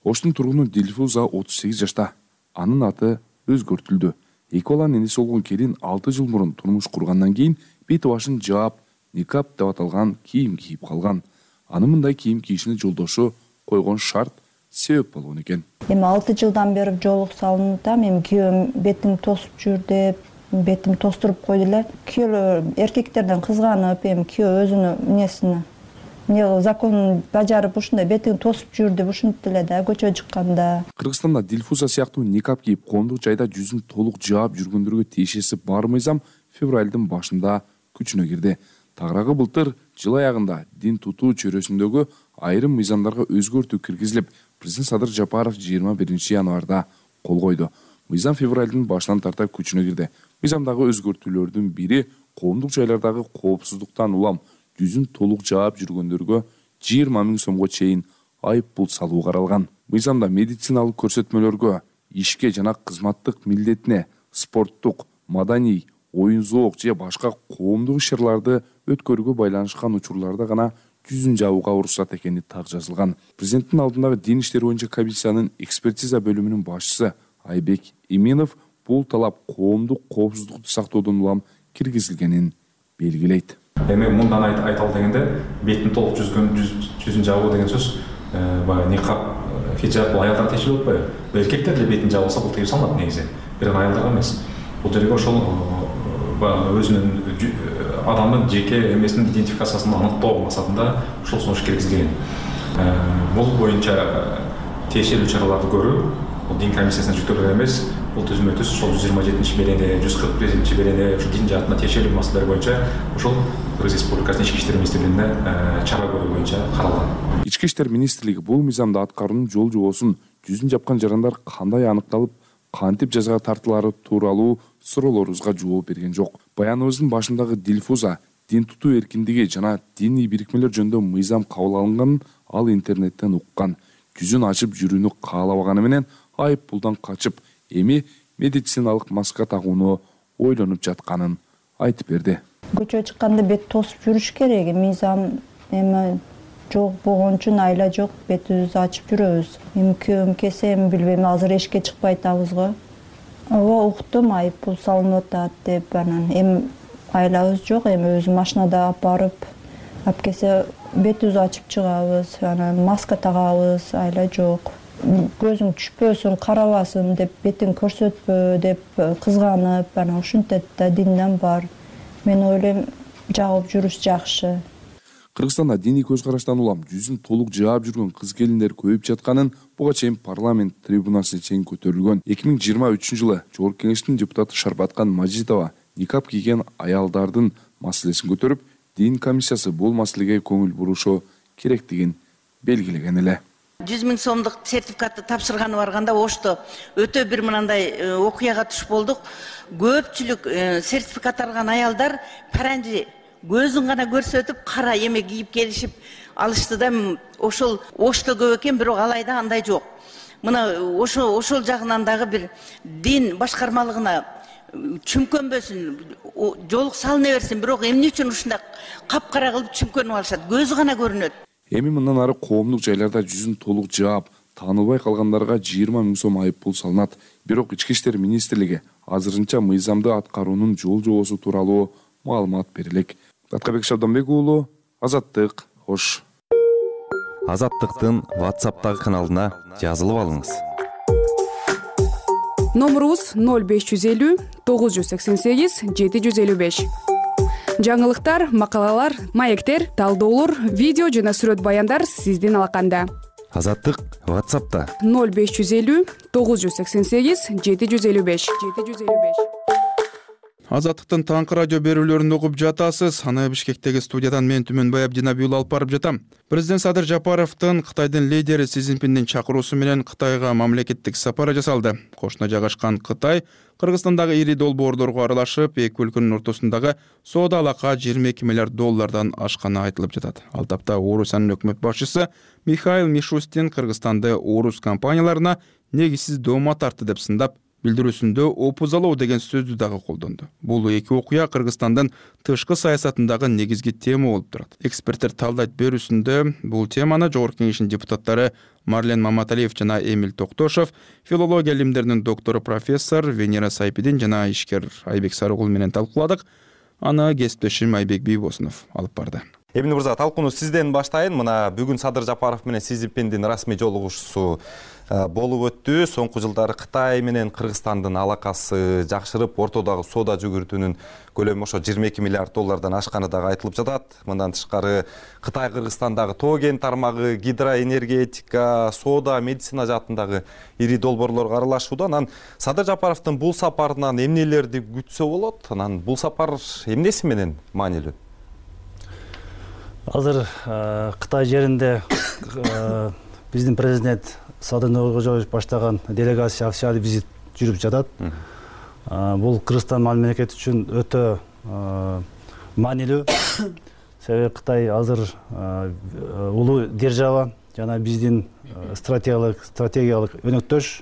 Оштун тургуну Дилфуза отуз сегиз жашта. Анын аты өзгөртүлдү. Эки баланын энеси болгон келин алты жыл мурун турмуш кургандан кийин бет башын жаап, никап деп аталган кийим кийип калган. Аны мындай кийим кийишине жолдошу койгон шарт себеп болгон экен. Эми алты жылдан бери жолук салынып, эми күйөөм бетин тосуп жүр деп, бетим тостуруп койду эле. Күйөө эркектерден кызганып, эми күйөө өзүнүн эмнесине эмне законун бажарып ушундай бетин тосуп жүр деп ушинтип эле да көчөгө чыкканда. Кыргызстанда Дилфуза сыяктуу никап кийип коомдук жайда жүзүн толук жаап жүргөндөргө тиешеси бар мыйзам февралдын башында күчүнө кирди. Тагыраагы былтыр жыл аягында дин тутуу чөйрөсүндөгү айрым мыйзамдарга өзгөртүү киргизилип, президент Садыр Жапаров жыйырма биринчи январда кол койду. Мыйзам февралдын башынан тарта күчүнө кирди. Мыйзамдагы өзгөртүүлөрдүн бири коомдук жайлардагы коопсуздуктан улам жүзүн толук жаап жүргөндөргө жыйырма миң сомго чейин айып пул салуу каралган. Мыйзамда медициналык көрсөтмөлөргө, ишке жана кызматтык милдетине, спорттук, маданий, оюн зоок же башка коомдук иш-чараларды өткөрүүгө байланышкан учурларда гана жүзүн жабууга уруксат экени так жазылган. Президенттин алдындагы дин иштери боюнча комиссиянын экспертиза бөлүмүнүн башчысы Айбек Иминов бул талап коомдук коопсуздукту сактоодон улам киргизилгенин белгилейт. Эми мындан айталы дегенде беттин толук жүзгөн жүзүн жабуу деген сөз баягы никап, хиджаб бул аялдарга тиешелүү болбойбу? Эркектер деле бетин жаап алса бул тыюу салынат негизи. Бирок аялдарга эмес. Бул жерге ошол баягы өзүнүн адамдын жеке эмесинин идентификациясын аныктоо максатында ушул сунуш киргизилген. Бул боюнча тиешелүү чараларды көрүү бул дин комиссиясына жүктөлгөн эмес. Бул түзмө түз ошол жүз жыйырма жетинчи берене, жүз кырк бешинчи берене ушу дин жаатына тиешелүү маселелер боюнча ошол Кыргыз Республикасынын ички иштер министрлигине чара көрүү боюнча каралган. Ички иштер министрлиги бул мыйзамды аткаруунун жол жобосун жүзүн жапкан жарандар кандай аныкталып, кантип жазага тартылары тууралуу суроолорубузга жооп берген жок. Баяныбыздын башындагы Дилфуза дин тутуу эркиндиги жана диний бирикмелер жөнүндө мыйзам кабыл алынганын ал интернеттен уккан. Жүзүн ачып жүрүүнү каалабаганы менен айып пулдан качып, эми медициналык маска тагууну ойлонуп жатканын айтып берди. Көчөгө чыкканда бет тосуп жүрүш керек. Мыйзам эми жок болгон үчүн айла жок, бетибизди ачып жүрөбүз. Эми күйөөм келсе, эми билбейм, азыр эшикке чыкпай атабыз го. Ооба, уктум, айып пул салынып атат деп, анан эми айлабыз жок, эми өзү машинада алып барып, алып келсе бетибизди ачып чыгабыз, анан маска тагабыз, айла жок. Көзүң түшпөсүн, карабасын деп, бетин көрсөтпө деп кызганып, анан ушинтет да динден бар. Мен ойлойм, жагып жүрүш жакшы. Кыргызстанда диний көз караштан улам жүзүн толук жаап жүргөн кыз келиндер көбөйүп жатканын буга чейин парламент трибунасына чейин көтөрүлгөн. эки миң жыйырма үчүнчү жылы Жогорку Кеңештин депутаты Шарбаткан Мажитова никап кийген аялдардын маселесин көтөрүп, дин комиссиясы бул маселеге көңүл бурушу керектигин белгилеген эле. жүз миң сомдук сертификатты тапшырганы барганда ошто өтө бир мындай окуяга туш болдук. Көпчүлүк сертификат алган аялдар паранжи көзүн гана көрсөтүп, кара эме кийип келишип алышты да, ошол ошто көп экен, бирок алайда андай жок. Мына ошо ошол жагынан дагы бир дин башкармалыгына чүмкөнбөсүн, жолук салына берсин, бирок эмне үчүн ушундай капкара кылып чүмкөнүп алышат? Көзү гана көрүнөт. Эми мындан ары коомдук жайларда жүзүн толук жаап, таанылбай калгандарга жыйырма миң сом айып пул салынат. Бирок Ички иштер министрлиги азырынча мыйзамды аткаруунун жол жобосу тууралуу маалымат берилек. Аткарбек Шабданбек уулу, Азаттык, Ош. Азаттыктын WhatsApp'тагы каналына жазылып алыңыз. Номурубуз ноль беш жүз элүү тогуз жүз сексен сегиз жети жүз элүү беш. Жаңылыктар, макалалар, маектер, талдоолор, видео жана сүрөт баяндар сиздин алаканда. Азаттык WhatsApp'та ноль беш жүз элүү тогуз жүз сексен сегиз жети жүз элүү беш. Азаттыктын таңкы радио берүүлөрүн угуп жатасыз. Аны Бишкектеги студиядан мен Түмөнбай Абдинабиул алып барып жатам. Президент Садыр Жапаровдун Кытайдын лидери Си Цзиньпиндин чакыруусу менен Кытайга мамлекеттик сапары жасалды. Кошуна жайгашкан Кытай Кыргызстандагы ири долбоорлорго аралашып, эки өлкөнүн ортосундагы соода алака жыйырма эки миллиард доллардан ашканы айтылып жатат. Ал тапта Орусиянын өкмөт башчысы Михаил Мишустин Кыргызстанды орус компанияларына негизсиз доoma тартты деп сындап, билдирүүсүндө опузалоо деген сөздү дагы колдонду. Бул эки окуя Кыргызстандын тышкы саясатындагы негизги тема болуп турат. Эксперттер талдайт берүүсүндө бул теманы Жогорку Кеңештин депутаттары Марлен Маматалиев жана Эмиль Токтошов, филология илимдеринин доктору профессор Венера Сайпидин жана ишкер Айбек Сарыгул менен талкууладык. Аны кесиптешим Айбек Бийбосунов алып барды. Эмиль мырза, талкууну сизден баштайын. Мына бүгүн Садыр Жапаров менен Си Цзиньпиндин расмий жолугушуусу болуп өттү. Соңку жылдары Кытай менен Кыргызстандын алакасы жакшырып, ортодогу соода жүгүртүүнүн көлөмү ошо жыйырма эки миллиард доллардан ашканы дагы айтылып жатат. Мындан тышкары Кытай Кыргызстандагы тоо кен тармагы, гидроэнергетика, соода, медицина жаатындагы ири долбоорлорго аралашууда. Анан Садыр Жапаровдун бул сапарынан эмнелерди күтсө болот? Анан бул сапар эмнеси менен маанилүү? Азыр Кытай жеринде биздин президент Садыр Нуркожоевич баштаган делегация официалдык визит жүрүп жатат. Бул Кыргызстан мамлекети үчүн өтө маанилүү. Себеби Кытай азыр улуу держава жана биздин стратегиялык стратегиялык өнөктөш.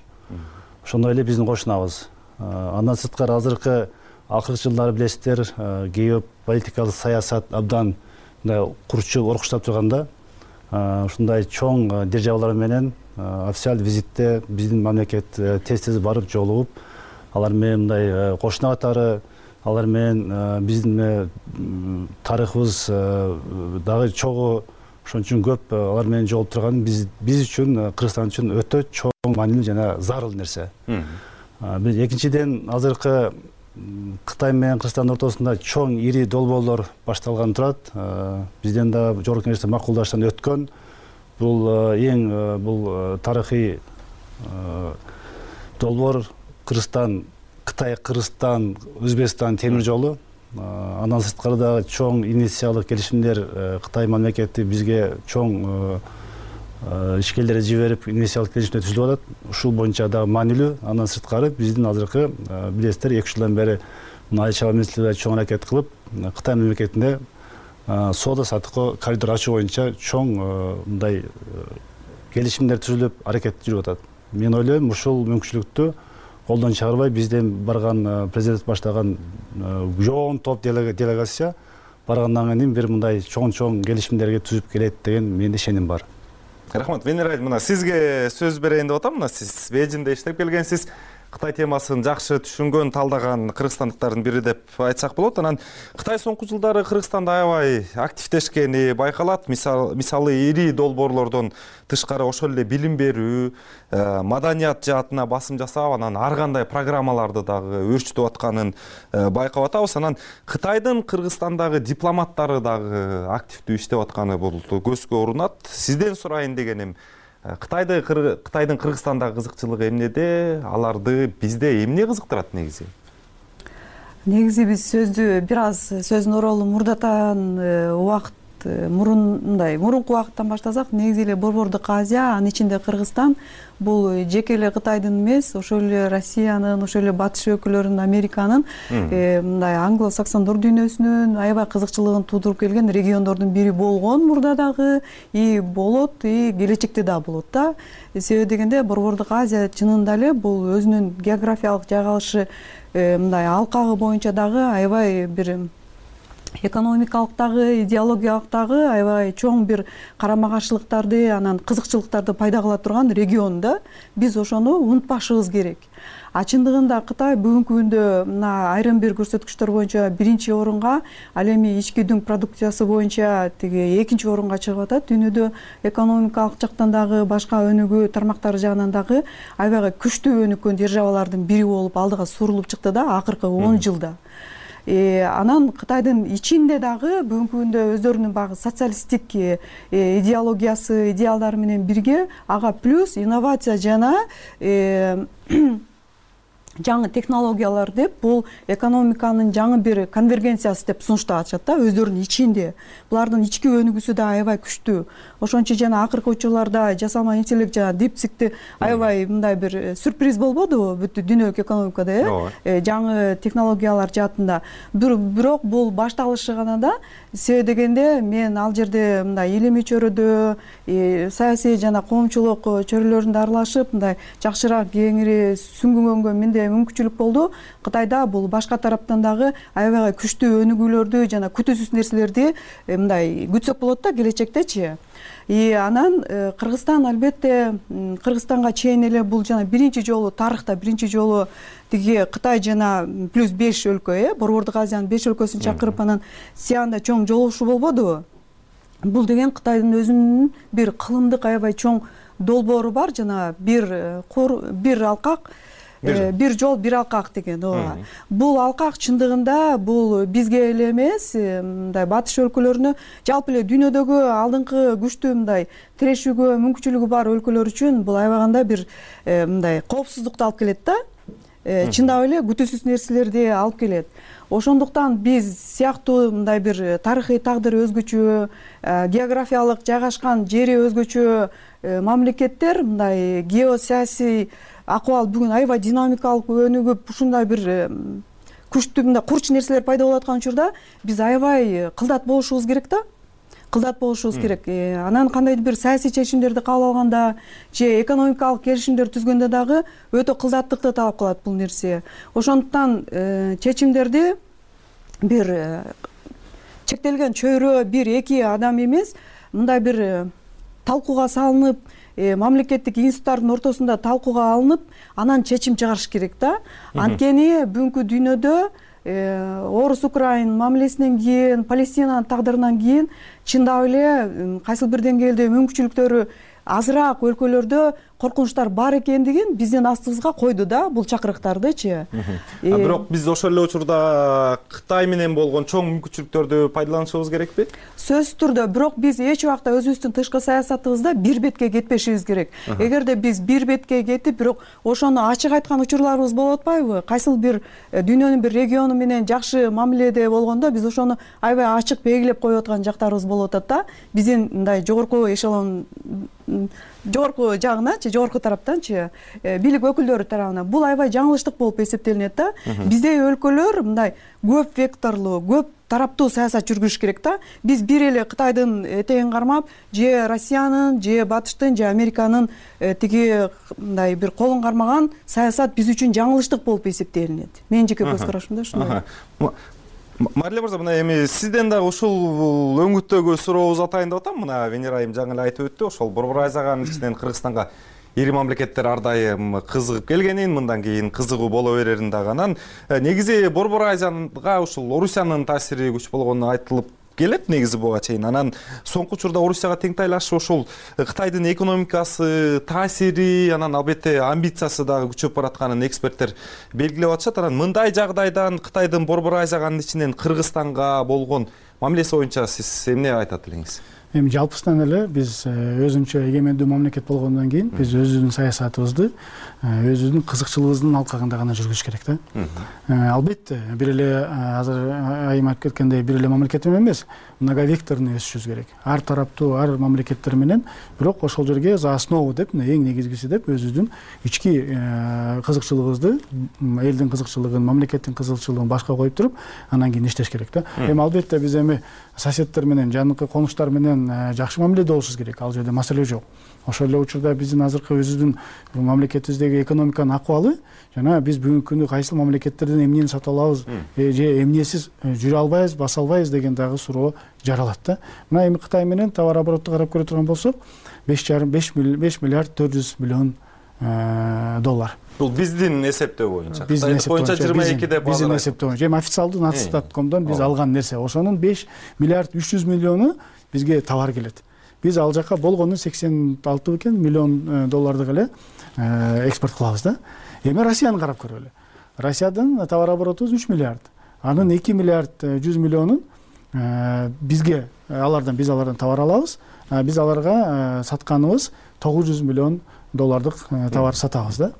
Ошондой эле биздин кошунабыз. Андан сырткары азыркы акыркы жылдары билесиздер, геополитикалык саясат абдан курчу оркуштап турганда, ушундай чоң державалар менен официалдык визитте биздин мамлекет тез-тез барып жолугуп, алар менен мындай кошуна катары, алар менен биздин тарыхыбыз дагы чогуу, ошон үчүн көп алар менен жолугуп турган биз биз үчүн, Кыргызстан үчүн өтө чоң маанилүү жана зарыл нерсе. Экинчиден, азыркы Кытай менен Кыргызстандын ортосунда чоң ири долбоорлор башталган турат. Бизден да Жогорку Кеңеште макулдаштан өткөн. Бул эң бул тарыхый долбоор Кыргызстан, Кытай, Кыргызстан, Өзбекстан темир жолу. Андан сырткары да чоң инвестициялык келишимдер Кытай мамлекети бизге чоң ишкерлерди жиберип инвестициялык келишимдер түзүлүп атат. Ушул боюнча дагы маанилүү. Андан сырткары биздин азыркы билесиздер эки жылдан бери Айыл чарба министрлиги чоң аракет кылып, Кытай мамлекетинде соода саттыкка коридор ачуу боюнча чоң мындай келишимдер түзүлүп аракет жүрүп атат. Мен ойлойм, ушул мүмкүнчүлүктү колдон чыгарбай бизден барган президент баштаган жоон топ делегация баргандан кийин бир мындай чоң-чоң келишимдерге түзүп келет деген менде ишеним бар. Рахмат. Венера, мына сизге сөз берейин деп атам. Мына сиз Бейжиңде иштеп келгенсиз. Кытай темасын жакшы түшүнгөн, талдаган кыргызстандыктардын бири деп айтсак болот. Анан Кытай соңку жылдары Кыргызстанда аябай активдешкени байкалат. Мисалы ири долбоорлордон тышкары ошол эле билим берүү, маданият жаатына басым жасап, анан ар кандай программаларды дагы өөрчүтүп атканын байкап атабыз. Анан Кытайдын Кыргызстандагы дипломаттары дагы активдүү иштеп атканы бул көзгө урунат. Сизден сурайын дегеним, Кытайды Кытайдын Кыргызстандагы кызыкчылыгы эмнеде, аларды бизде эмне кызыктырат негизи? Негизи биз сөздү бир аз сөздүн оролун мурдатан убакыт мурун мындай мурунку убакыттан баштасак, негизи эле Борбордук Азия, анын ичинде Кыргызстан бул жеке эле Кытайдын эмес, ошол эле Россиянын, ошол эле батыш өлкөлөрүнүн, Американын мындай англо-саксондор дүйнөсүнүн аябай кызыкчылыгын туудуруп келген региондордун бири болгон мурда дагы, и болот, и келечекте да болот да. Себеби дегенде Борбордук Азия чынында эле бул өзүнүн географиялык жайгалышы мындай алкагы боюнча дагы аябай бир экономикалык дагы, идеологиялык дагы аябай чоң бир карама каршылыктарды, анан кызыкчылыктарды пайда кыла турган регион да. Биз ошону унутпашыбыз керек. А чындыгында Кытай бүгүнкү күндө мына айрым бир көрсөткүчтөр боюнча биринчи орунга, ал эми ички дүң продукциясы боюнча тиги экинчи орунга чыгып атат. Дүйнөдө экономикалык жактан дагы, башка өнүгүү тармактары жагынан дагы аябай күчтүү өнүккөн державалардын бири болуп алдыга сурулуп чыкты да акыркы он жылда. Анан Кытайдын ичинде дагы бүгүнкү күндө өздөрүнүн багы социалисттик идеологиясы, идеалдары менен бирге ага плюс инновация жана жаңы технологиялар деп бул экономиканын жаңы бир конвергенциясы деп сунуштап атышат да өздөрүнүн ичинде. Булардын ички өнүгүүсү да аябай күчтүү. Ошончо жана акыркы учурларда жасалма интеллект жана дипсикти аябай мындай бир сюрприз болбодубу бүт дүйнөлүк экономикада, э? Жаңы технологиялар жаатында. Бирок бул башталышы гана да. Себеби дегенде мен ал жерде мындай илимий чөйрөдө, саясий жана коомчулук чөйрөлөрүндө аралашып, мындай жакшыраак кеңири сүңгүнгөнгө менде мүмкүнчүлүк болду. Кытайда бул башка тараптан дагы аябай күчтүү өнүгүүлөрдү жана күтүүсүз нерселерди мындай күтсөк болот да келечектечи. И анан Кыргызстан албетте Кыргызстанга чейин эле бул жана биринчи жолу тарыхта биринчи жолу тиги Кытай жана плюс беш өлкө, э, Борбордук Азиянын беш өлкөсүн чакырып анан Сианда чоң жолугушуу болбодубу? Бул деген Кытайдын өзүнүн бир кылымдык аябай чоң долбоору бар, жана бир кур бир алкак бир жол бир алкак деген. Ооба. Бул алкак чындыгында бул бизге эле эмес, мындай батыш өлкөлөрүнө, жалпы эле дүйнөдөгү алдыңкы күчтүү мындай тирешүүгө мүмкүнчүлүгү бар өлкөлөр үчүн бул аябаганда бир мындай коопсуздукту алып келет да. Чындап эле күтүүсүз нерселерди алып келет. Ошондуктан биз сыяктуу мындай бир тарыхый тагдыры өзгөчө, географиялык жайгашкан жери өзгөчө мамлекеттер мындай геосаясий акыбал бүгүн аябай динамикалык өнүгүп, ушундай бир күчтүү мындай курч нерселер пайда болуп аткан учурда биз аябай кылдат болушубуз керек да. Кылдат болушубуз керек. Анан кандайдыр бир саясий чечимдерди кабыл алганда же экономикалык келишимдер түзгөндө дагы өтө кылдаттыкты талап кылат бул нерсе. Ошондуктан чечимдерди бир чектелген чөйрө, бир эки адам эмес, мындай бир талкууга салынып, мамлекеттик институттардын ортосунда талкууга алынып, анан чечим чыгарыш керек да. Анткени бүгүнкү дүйнөдө Орус Украин мамилесинен кийин, Палестинанын тагдырынан кийин чындап эле кайсыл бир деңгээлде мүмкүнчүлүктөрү азыраак өлкөлөрдө коркунучтар бар экендигин биздин астыбызга койду да бул чакырыктардычы. Бирок биз ошол эле учурда Кытай менен болгон чоң мүмкүнчүлүктөрдү пайдаланышыбыз керекпи? Сөзсүз түрдө, бирок биз эч убакта өзүбүздүн тышкы саясатыбызда бир бетке кетпешибиз керек. Эгерде биз бир бетке кетип, бирок ошону ачык айткан учурларыбыз болуп атпайбы? Кайсыл бир дүйнөнүн бир региону менен жакшы мамиледе болгондо биз ошону аябай ачык белгилеп коюп аткан жактарыбыз болуп атат да. Биздин мындай жогорку эшелон жогорку жагынанчы, жогорку тараптанчы, бийлик өкүлдөрү тарабынан бул аябай жаңылыштык болуп эсептелинет да. Биздей өлкөлөр мындай көп векторлуу, көп тараптуу саясат жүргүзүш керек да. Биз бир эле Кытайдын этегин кармап, же Россиянын, же Батыштын, же Американын тиги мындай бир колун кармаган саясат биз үчүн жаңылыштык болуп эсептелинет. Менин жеке көз карашымда ушундай. Мариле мырза, мына эми сизден дагы ушул өңүттөгү сурообузду атайын деп атам. Мына Венера айым жаңы эле айтып өттү, ошол Борбор Азиянын ичинен Кыргызстанга ири мамлекеттер ар дайым кызыгып келгенин, мындан кийин кызыгуу боло берерин дагы. Анан негизи Борбор Азияга ушул Орусиянын таасири күч болгону айтылып келет негизи буга чейин. Анан соңку учурда Орусияга тең тайлашып ушул Кытайдын экономикасы, таасири, анан албетте амбициясы дагы күчөп баратканын эксперттер белгилеп атышат. Анан мындай жагдайдан Кытайдын Борбор Азиянын ичинен Кыргызстанга болгон мамилеси боюнча сиз эмне айтат элеңиз? Эми жалпысынан эле биз өзүнчө эгемендүү мамлекет болгондон кийин биз өзүбүздүн саясатыбызды өзүбүздүн кызыкчылыгыбыздын алкагында гана жүргүзүш керек да. Албетте бир эле азыр айым айтып кеткендей бир эле мамлекет эмес, многовекторный өсүшүбүз керек. Ар тараптуу, ар мамлекеттер менен, бирок ошол жерге за основу деп, эң негизгиси деп өзүбүздүн ички кызыкчылыгыбызды, элдин кызыкчылыгын, мамлекеттин кызыкчылыгын башка коюп туруп, анан кийин иштеш керек да. Эми албетте биз эми соседтер менен, жаныкы конуштар менен жакшы мамиледе болушубуз керек. Ал жерде маселе жок. Ошол эле учурда биздин азыркы өзүбүздүн мамлекетибиздеги экономиканын акыбалы жана биз бүгүнкү күндө кайсыл мамлекеттерден эмнени сатып алабыз же эмнесиз жүрө албайбыз, баса албайбыз деген дагы суроо жаралат да. Мына эми Кытай менен товар обороту карап көрө турган болсок, беш жарым беш миллиард төрт жүз миллион доллар. Бул биздин эсептөө боюнча. Биздин эсептөө боюнча жыйырма эки деп биздин эсептөө боюнча. Эми официалдуу натстат точка комдон биз алган нерсе. Ошонун беш миллиард үч жүз миллиону бизге товар келет. Биз ал жака болгону сексен алты бекен миллион доллардык эле экспорт кылабыз да. Эми Россияны карап көрөлү. Россиядын товар обороту үч миллиард. Анын эки миллиард жүз миллионун бизге алардан биз алардан товар алабыз. Биз аларга сатканыбыз тогуз жүз миллион доллардык товар сатабыз да.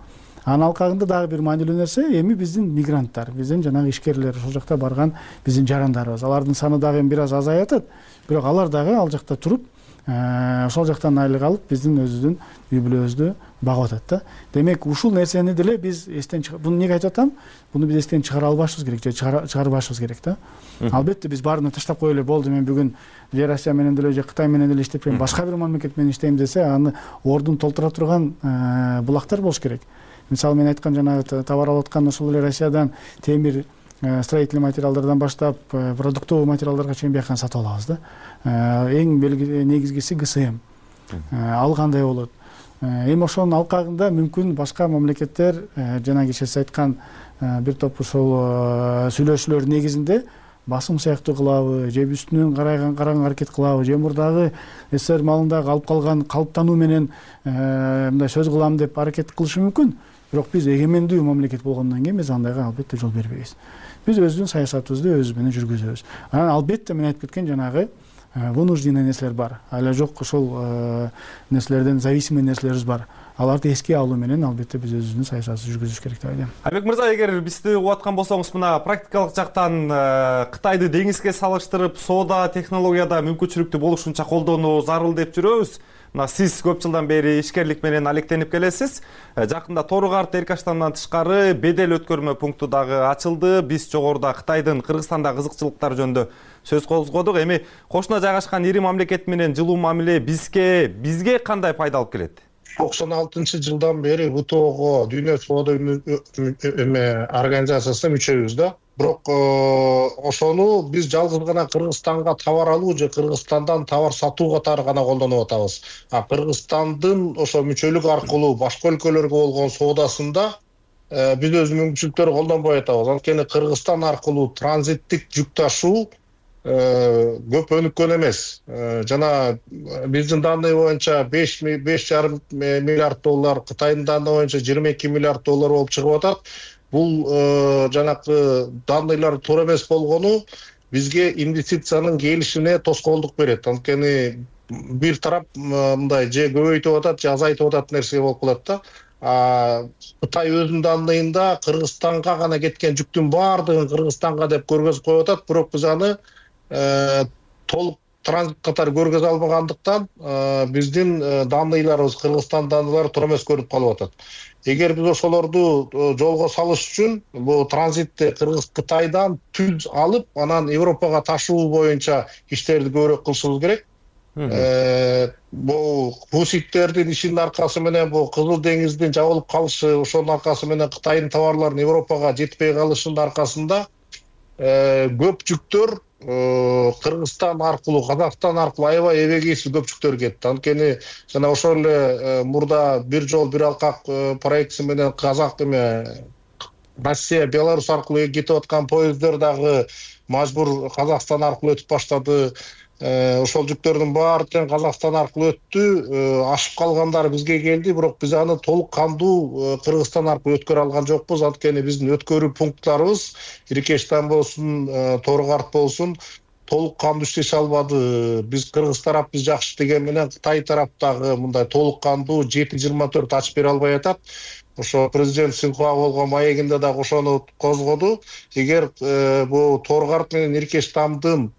Анын алкагында дагы бир маанилүү нерсе эми биздин мигранттар, биздин жанагы ишкерлер, ошол жакта барган биздин жарандарыбыз. Алардын саны дагы бир аз азайып атат, бирок алар дагы ал жакта туруп, ошол жактан айлык алып, биздин өзүбүздүн үй бүлөбүздү багып атат да. Демек, ушул нерсени деле биз эстен чыгар. Буну эмнеге айтып атам? Буну биз эстен чыгара албашыбыз керек, же чыгарбашыбыз керек да. Албетте биз баарын таштап коелу эле болду, мен бүгүн же Россия менен деле же Кытай менен деле иштепейм, башка бир мамлекет менен иштейм десе, аны ордун толтура турган булактар болуш керек. Мисалы мен айткан жанагы товар алып аткан ошол эле Россиядан темир, строительный материалдардан баштап продуктовый материалдарга чейин бияктан сатып алабыз да. Эң негизгиси гэ эс эм. Ал кандай болот? Эми ошонун алкагында мүмкүн башка мамлекеттер жана киши айткан бир топ ошол сүйлөшүүлөр негизинде басым сыяктуу кылабы, же үстүнөн караган караган аракет кылабы, же мурдагы СССР малындагы алып калган калыптануу менен мындай сөз кылам деп аракет кылышы мүмкүн. Бирок биз эгемендүү мамлекет болгондон кийин биз андайга албетте жол бербейбиз. Биз өзүбүздүн саясатыбызды өзүбүз менен жүргүзөбүз. Анан албетте мен айтып кеткен жанагы вынужденный нерселер бар. Ала жок ошол нерселерден зависимый нерселерибиз бар. Аларды эске алуу менен албетте биз өзүбүздүн саясатыбызды жүргүзүш керек деп ойлойм. Айбек мырза, эгер бизди угуп аткан болсоңуз, мына практикалык жактан Кытайды деңизге салыштырып, соода, технологияда мүмкүнчүлүктүү болушунча колдонуу зарыл деп жүрөбүз. Мына сиз көп жылдан бери ишкерлик менен алектенип келесиз. Жакында Тору-Карт Эркаштандан тышкары бедел өткөрмө пункту дагы ачылды. Биз жогоруда Кытайдын Кыргызстанда кызыкчылыктары жөнүндө сөз козгодук. Эми кошуна жайгашкан ири мамлекет менен жылуу мамиле бизге бизге кандай пайда алып келет? токсон алтынчы жылдан бери вэ тэ ого, Дүйнө соода организациясына мүчөбүз да. Бирок ошону биз жалгыз гана Кыргызстанга товар алуу же Кыргызстандан товар сатуу катары гана колдонуп атабыз. А Кыргызстандын ошо мүчөлүк аркылуу башка өлкөлөргө болгон соодасында биз өз мүмкүнчүлүктөрү колдонбой атабыз. Анткени Кыргызстан аркылуу транзиттик жүк ташуу көп өнүккөн эмес. Жана биздин данные боюнча беш жарым миллиард доллар, Кытайдын данные боюнча жыйырма эки миллиард доллар болуп чыгып атат. Бул жанакы данныйлар туура эмес болгону бизге инвестициянын келишине тоскоолдук берет. Анткени бир тарап мындай же көбөйтүп атат, же азайтып атат нерсе болуп калат да. Кытай өзүнүн данныйында Кыргызстанга гана кеткен жүктүн баардыгын Кыргызстанга деп көргөзүп коюп атат, бирок биз аны толук транзит катары көргөзө албагандыктан биздин данныйларыбыз, Кыргызстан данныйлары туура эмес көрүнүп калып атат. Эгер биз ошолорду жолго салыш үчүн бул транзитти Кыргыз Кытайдан түз алып, анан Европага ташуу боюнча иштерди көбүрөөк кылышыбыз керек. Бул хуситтердин ишинин аркасы менен бул Кызыл деңиздин жабылып калышы, ошонун аркасы менен Кытайдын товарларынын Европага жетпей калышынын аркасында көп жүктөр Кыргызстан аркылуу, Казакстан аркылуу аябай эбегейсиз көп жүктөр кетти. Анткени жана ошол эле мурда бир жол бир алкак проектиси менен Казак эме Россия, Беларусь аркылуу кетип аткан поезддер дагы мажбур Казакстан аркылуу өтүп баштады. Ошол жүктөрдүн баары тең Казакстан аркылуу өттү. Ашып калгандары бизге келди, бирок биз аны толук кандуу Кыргызстан аркылуу өткөрө алган жокпуз. Анткени биздин өткөрүү пункттарыбыз Иркештан болсун, Торгарт болсун толук кандуу иштеше албады. Биз Кыргыз тарап биз жакшы деген менен Кытай тарап дагы мындай толук кандуу жети жыйырма төрт ачып бере албай атат. Ошо президент Синхуа болгон маегинде дагы ошону козгоду. Эгер бул Торгарт менен Иркештандын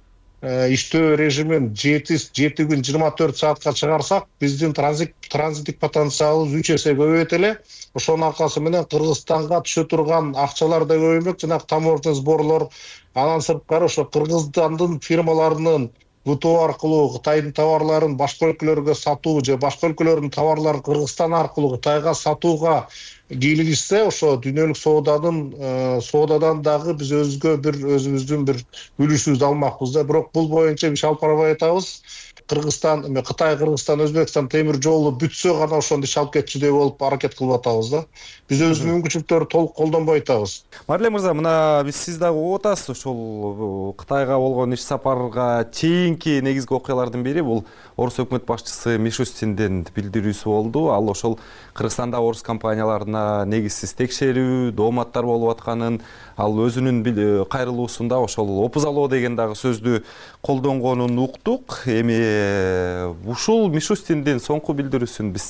иштөө режимин жети жети күн жыйырма төрт саатка чыгарсак, биздин транзиттик потенциалыбыз үч эсе көбөйөт эле. Ошонун аркасы менен Кыргызстанга түшө турган акчалар да көбөймөк, жана таможня сборлор. Анан сырткары ошо Кыргызстандын фирмаларынын ВТО аркылуу Кытайдын товарларын башка өлкөлөргө сатуу же башка өлкөлөрдүн товарларын Кыргызстан аркылуу Кытайга сатууга кийлигишсе, ошо дүйнөлүк сооданын соодадан дагы биз өзгө бир өзүбүздүн бир үлүшүбүздү алмакпыз да. Бирок бул боюнча биз алып барбай атабыз. Кыргызстан, эме Кытай, Кыргызстан, Өзбекстан темир жолу бүтсө гана ошондо иш алып кетчүдөй болуп аракет кылып атабыз да. Биз өзүбүздүн мүмкүнчүлүктөрдү толук колдонбой атабыз. Марлен мырза, мына биз сиз дагы угуп атасыз, ошол Кытайга болгон иш сапарга чейинки негизги окуялардын бири бул Орус өкмөт башчысы Мишустиндин билдирүүсү болду. Ал ошол Кыргызстанда орус компанияларына негизсиз текшерүү, дооматтар болуп атканын, ал өзүнүн кайрылуусунда ошол опузалоо деген дагы сөздү колдонгонун уктук. Эми ушул Мишустиндин соңку билдирүүсүн биз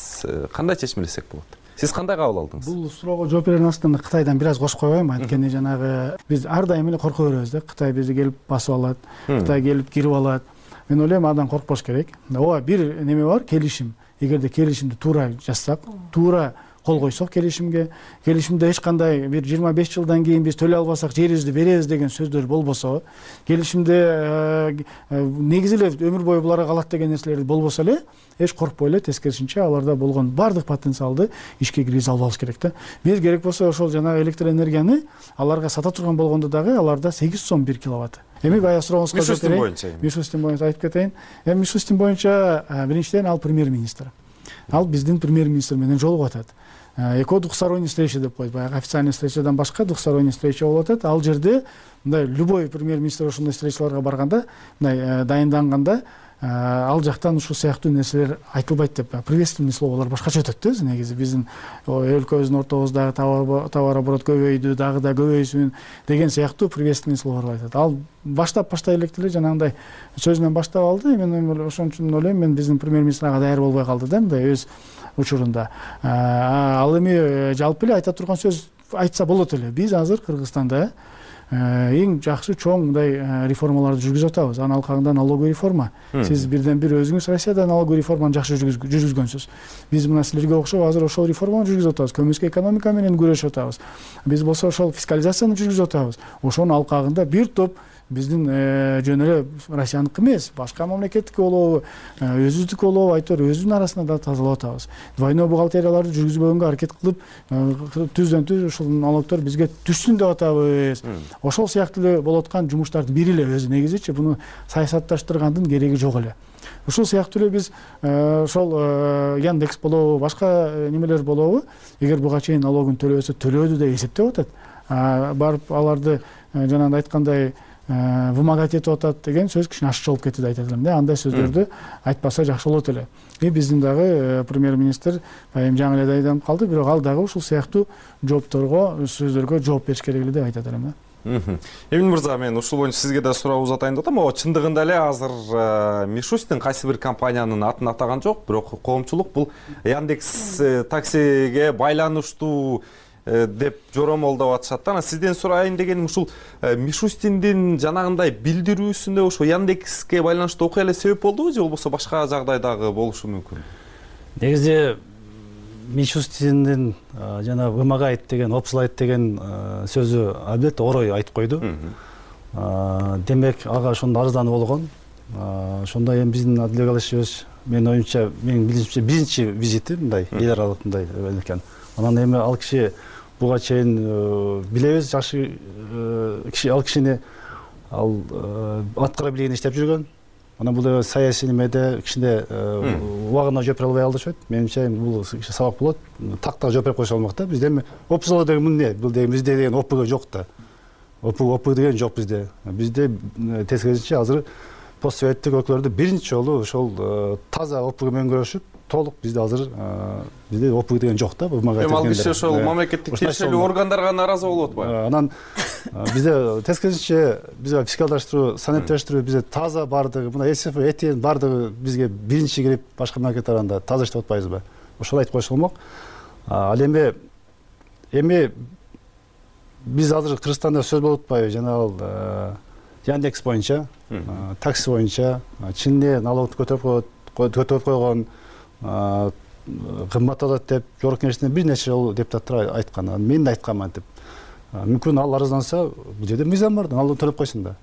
кандай чечмелесек болот? Сиз кандай кабыл алдыңыз? Бул суроого жооп берердин астында Кытайдан бир аз кошуп койбойм. Анткени жанагы биз ар дайым эле корко беребиз да. Кытай бизди келип басып алат, Кытай келип кирип алат. Мен ойлойм, адан коркпош керек. Ооба, бир неме бар, келишим. Эгерде келишимди туура жазсак, туура кол койсок келишимге, келишимде эч кандай бир жыйырма беш жылдан кийин биз төлөй албасак жерибизди беребиз деген сөздөр болбосо, келишимде негизи эле өмүр бою буларга калат деген нерселер болбосо эле, эч коркпой эле тескерисинче аларда болгон баардык потенциалды ишке киргизе албабыз керек да. Биз керек болсо ошол жана электр энергияны аларга сата турган болгондо дагы аларда сегиз сом бир киловатт. Эми баягы сурооңузга жооп берейин. Мишустин боюнча айтып кетейин. Эми Мишустин боюнча биринчиден ал премьер-министр. Ал биздин премьер-министр менен жолугуп атат. Эко двухсторонний встреча деп коет. Баягы официальный встречадан башка двухсторонний встреча болуп атат. Ал жерде мындай любой премьер-министр ошондой встречаларга барганда, мындай дайынданганда, ал жактан ушул сыяктуу нерселер айтылбайт деп, приветственный словолор башкача өтөт да. Өзү негизи биздин өлкөбүздүн ортобуздагы товарооборот көбөйдү, дагы да көбөйсүн деген сыяктуу приветственный словолор айтат. Ал баштап баштай электе эле жанагындай сөз менен баштап алды. Мен ошон үчүн ойлойм, мен биздин премьер-министр ага даяр болбой калды да, мындай өз учурунда. Ал эми жалпы эле айта турган сөз айтса болот эле. Биз азыр Кыргызстанда эң жакшы чоң мындай реформаларды жүргүзүп атабыз. Анын алкагында налоговый реформа. Сиз бирден бир өзүңүз Россияда налоговый реформаны жакшы жүргүзгөнсүз. Биз мына силерге окшоп азыр ошол реформаны жүргүзүп атабыз. Көмүскө экономика менен күрөшүп атабыз. Биз болсо ошол фискализацияны жүргүзүп атабыз. Ошонун алкагында бир топ биздин жөн эле Россияныкы эмес, башка мамлекеттики болобу, өзүбүздүкү болобу, айтор өзүбүздүн арасында да тазалап атабыз. Двойной бухгалтерияларды жүргүзбөгөнгө аракет кылып, түздөн түз ушул налогдор бизге түшсүн деп атабыз. Ошол сыяктуу эле болуп аткан жумуштардын бири эле өзү негизичи, буну саясатташтыргандын кереги жок эле. Ушул сыяктуу эле биз ошол Яндекс болобу, башка немелер болобу, эгер буга чейин налогун төлөбөсө төлөөдү деп эсептеп атат. Барып аларды жанагындай айткандай вымогать этип атат деген сөз кичине ашыкча болуп кетти деп айтат элем да. Андай сөздөрдү айтпаса жакшы болот эле. И биздин дагы премьер-министр эми жаңы эле дайындалып калды, бирок ал дагы ушул сыяктуу жоопторго, сөздөргө жооп бериш керек эле деп айтат элем да. Эмин мырза, мен ушул боюнча сизге да суроо узатайын деп атам. О, чындыгында эле азыр Мишустин кайсы бир компаниянын атын атаган жок, бирок коомчулук бул Яндекс таксиге байланыштуу деп жоромолдоп атышат да. Анан сизден сурайын дегеним, ушул Мишустиндин жанагындай билдирүүсүндө ошо Яндекске байланыштуу окуя эле себеп болдубу же болбосо башка жагдайдагы болушу мүмкүн? Негизи Мишустиндин жана вымогает деген, обслайт деген сөзү албетте орой айтып койду. Демек ага ошондо арыздануу болгон. Ошондо эми биздин Адилбек Алишевич, менин оюмча, менин билишимче биринчи визити мындай эл аралык мындай экен. Анан эми ал киши буга чейин билебиз, жакшы киши, ал кишини ал аткара билген иштеп жүргөн. Анан бул саясий немеде кичине убагында жооп бере албай калдышат. Менимче бул сабак болот. Тактага жооп берип койсо болмок да. Бизде эми опузалы деген эмне? Бул деген бизде деген опг жок да. опг опг деген жок бизде. Бизде тескерисинче азыр постсоветтик өлкөлөрдө биринчи жолу ошол таза опг менен көрүшүп, толук бизде азыр бизде опг деген жок да. Эми ал киши ошол мамлекеттик тиешелүү органдарга нааразы болуп атпайбы? Анан бизде тескерисинче бизге фискалдаштыруу, саниттештирүү бизде таза бардыгы, мына СФ, ЭТН бардыгы бизге биринчи кирип башка мамлекеттер анда таза иштеп атпайбызбы? Ошол айтып койсо болмок. Ал эми эми биз азыр Кыргызстанда сөз болуп атпайбы? Жанагы Яндекс боюнча, такси боюнча чынне налогду көтөрүп коет, көтөрүп койгон, кымбатталат деп жогорку кеңештен бир нече жолу депутаттар айткан. Мен да айтканмын деп. Мүмкүн ал арызданса, бул жерде мыйзам бар да, налог төлөп койсун да.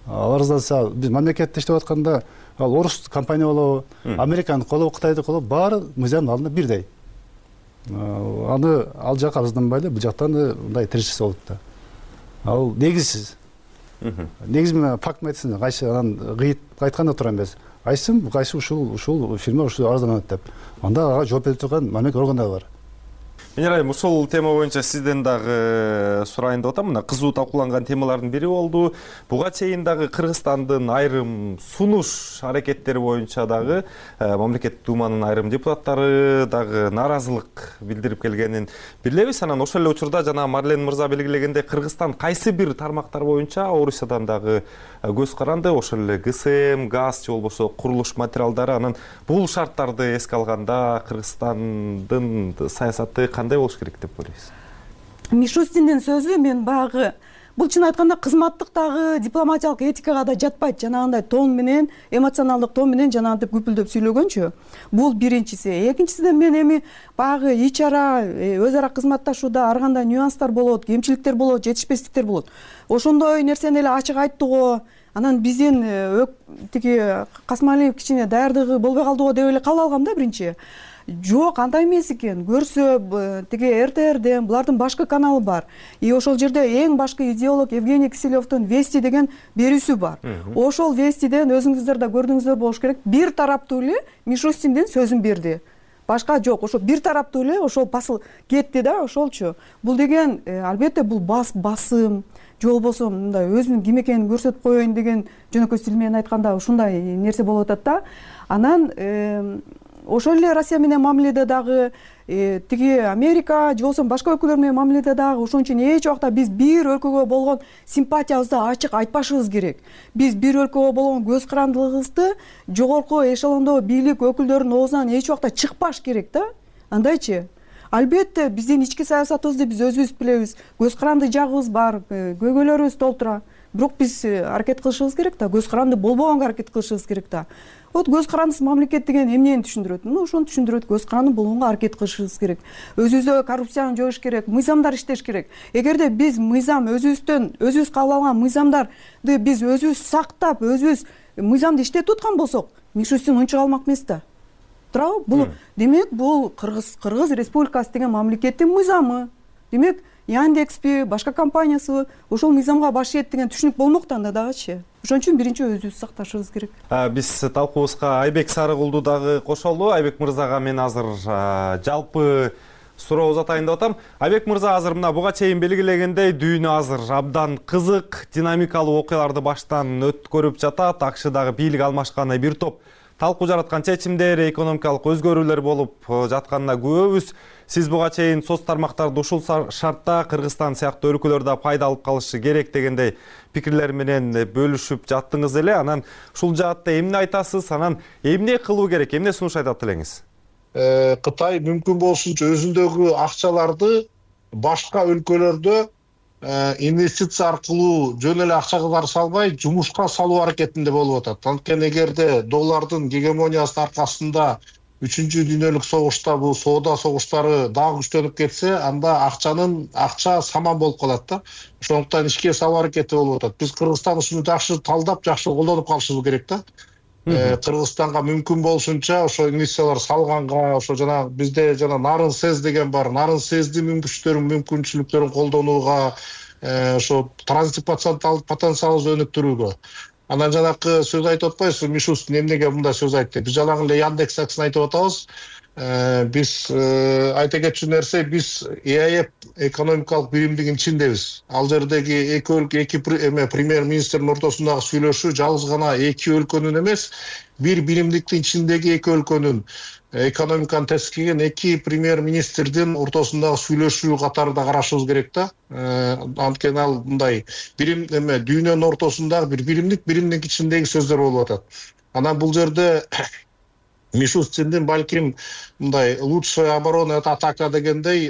Ал арызданса, биз мамлекетте иштеп атканда, ал орус компания болобу, американдык болобу, кытайдык болобу, баары мыйзамдын алдында бирдей. Аны ал жака арызданбай эле, бул жактан да мындай тирешсе болот да. Ал негизсиз. Негиз менен факт айтсын, кайсы анан кыйыт айтканда тура эмес. Айсым, кайсы ушул ушул фирма ушул арызданат деп. Анда ага жооп бере турган мамлекеттик органдар бар. Менер айым, ушул тема боюнча сизден дагы сурайын деп атам. Мына кызуу талкууланган темалардын бири болду. Буга чейин дагы Кыргызстандын айрым сунуш аракеттери боюнча дагы мамлекеттик думанын айрым депутаттары дагы нааразылык билдирип келгенин билебиз. Анан ошол эле учурда жана Марлен мырза белгилегендей, Кыргызстан кайсы бир тармактар боюнча Орусиядан дагы көз каранды. Ошол эле ГСМ, газ же болбосо курулуш материалдары. Анан бул шарттарды эске алганда Кыргызстандын саясаты кандай болуш керек деп ойлойсуз? Мишустиндин сөзү мен багы бул чын айтканда кызматтык дагы дипломатиялык этикага да жатпайт. Жанагындай тон менен, эмоционалдык тон менен жанагынтип күпүлдөп сүйлөгөнчү. Бул биринчиси. Экинчисинен мен эми багы ич ара, өз ара кызматташууда ар кандай нюанстар болот, кемчиликтер болот, жетишпестиктер болот. Ошондой нерсени эле ачык айттыго, анан биздин тиги Касмалиев кичине даярдыгы болбой калдыго деп эле кала алгам да биринчи. Жок, андай эмес экен. Көрсө, тиги эр тэ эрден булардын башкы каналы бар. И ошол жерде эң башкы идеолог Евгений Киселевдин Вести деген берүүсү бар. Ошол Вестиден өзүңүздөр да көрдүңүздөр болуш керек. Бир тараптуу эле Мишустиндин сөзүн берди. Башка жок. Ошо бир тараптуу эле ошол басыл кетти да, ошолчу. Бул деген албетте бул бас басым, же болбосо мындай өзүнүн ким экенин көрсөтүп коеюн деген жөнөкөй стил менен айтканда ушундай нерсе болуп атат да. Анан ошол эле Россия менен мамиледе дагы тиги Америка же болбосо башка өлкөлөр менен мамиледе дагы ошон үчүн эч убакта биз бир өлкөгө болгон симпатиябызды ачык айтпашыбыз керек. Биз бир өлкөгө болгон көз карандылыгыбызды жогорку эшелондо бийлик өкүлдөрүнүн оозунан эч убакта чыкпаш керек да. Андайчы. Албетте биздин ички саясатыбызды биз өзүбүз билебиз. Көз каранды жагыбыз бар, көйгөйлөрүбүз толтура. Бирок биз аракет кылышыбыз керек да, көз каранды болбогонго аракет кылышыбыз керек да. Вот көз карандысыз мамлекет деген эмнени түшүндүрөт? Ну, ошону түшүндүрөт. Көз каранды болгонго аракет кылышыбыз керек. Өзүбүздө коррупцияны жоюш керек, мыйзамдар иштеш керек. Эгерде биз мыйзам өзүбүздөн, өзүбүз кабыл алган мыйзамдарды биз өзүбүз сактап, өзүбүз мыйзамды иштетип аткан болсок, Мишустин унчук алмак эмес да. Туурабы? Бул демек бул Кыргыз Кыргыз Республикасы деген мамлекеттин мыйзамы. Демек, Яндекспи, башка компаниясы ошол мыйзамга баш ийет деген түшүнүк болмок да анда дагычы. Ошон үчүн биринчи өзүбүз сакташыбыз керек. Биз талкуубузга Айбек Сарыгулду дагы кошолду. Айбек мырзага мен азыр жалпы суроо узатайын деп атам. Айбек мырза, азыр мына буга чейин белгилегендей, дүйнө азыр абдан кызык, динамикалуу окуяларды баштан өткөрүп жатат. Акшдагы бийлик алмашканы бир топ талкуу жараткан чечимдер, экономикалык өзгөрүүлөр болуп жатканына күбөбүз. Сиз буга чейин соц тармактарды ушул шартта Кыргызстан сыяктуу өлкөлөрдө пайда алып калышы керек дегендей пикирлер менен бөлүшүп жаттыңыз эле. Анан ушул жаатта эмне айтасыз? Анан эмне кылуу керек? Эмне сунуш айтат элеңиз? Кытай мүмкүн болсунча өзүндөгү акчаларды башка өлкөлөрдө инвестиция аркылуу жөн эле акчалар салбай, жумушка салуу аракетинде болуп атат. Анткени эгерде доллардын гегемониясынын аркасында үчүнчү дүйнөлүк согушта бул соода согуштары дагы күчтөнүп кетсе, анда акчанын акча саман болуп калат да. Ошондуктан ишке салуу аракети болуп атат. Биз Кыргызстан ушуну жакшы талдап, жакшы колдонуп калышыбыз керек да. Кыргызстанга мүмкүн болушунча ошо инвестициялар салганга, ошо жана бизде жана нарын сэз деген бар, нарын сэздин мүмкүнчүлүктөрүн мүмкүнчүлүктөрүн колдонууга, ошо транзиттик потенциалыбызды өнүктүрүүгө. Анан жанакы сөз айтып атпайсызбы, Мишустин эмнеге мындай сөз айтты? Биз жалаң эле Яндекс таксыны айтып атабыз. Биз айта кетчү нерсе, биз ИАЭП экономикалык биримдигинин ичиндебиз. Ал жердеги эки өлкө, эки эме премьер-министрдин ортосундагы сүйлөшүү жалгыз гана эки өлкөнүн эмес, бир биримдиктин ичиндеги эки өлкөнүн экономиканы тескиген эки премьер-министрдин ортосундагы сүйлөшүү катарында карашыбыз керек да. Анткени ал мындай бирим эме дүйнөнүн ортосундагы бир биримдик, биримдик ичиндеги сөздөр болуп атат. Анан бул жерде Мишустиндин балким мындай лучшая оборона это атака дегендей,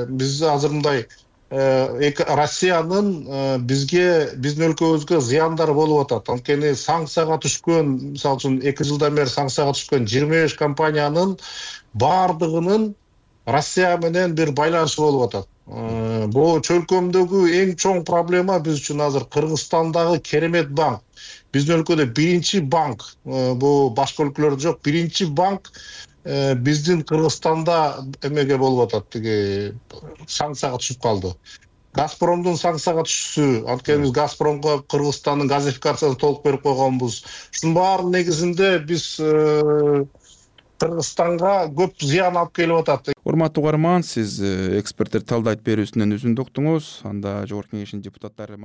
биз азыр мындай Россиянын бизге, биздин өлкөбүзгө зыяндары болуп атат. Анткени санкцияга түшкөн, мисалы үчүн эки жылдан бери санкцияга түшкөн жыйырма беш компаниянын баардыгынын Россия менен бир байланышы болуп атат. Бул чөлкөмдөгү эң чоң проблема биз үчүн азыр Кыргызстандагы керемет банк. Биздин өлкөдө биринчи банк, бул башка өлкөлөрдө жок, биринчи банк биздин Кыргызстанда эмеге болуп атат, тиги санкцияга түшүп калды. Газпромдун санкцияга түшүшү, анткени биз Газпромго Кыргызстандын газификациясын толук берип койгонбуз. Ушунун баарынын негизинде биз Кыргызстанга көп зыян алып келип атат. Урматтуу угарман, сиз эксперттер талдайт берүүсүнөн үзүндү уктуңуз. Анда Жогорку Кеңештин депутаттары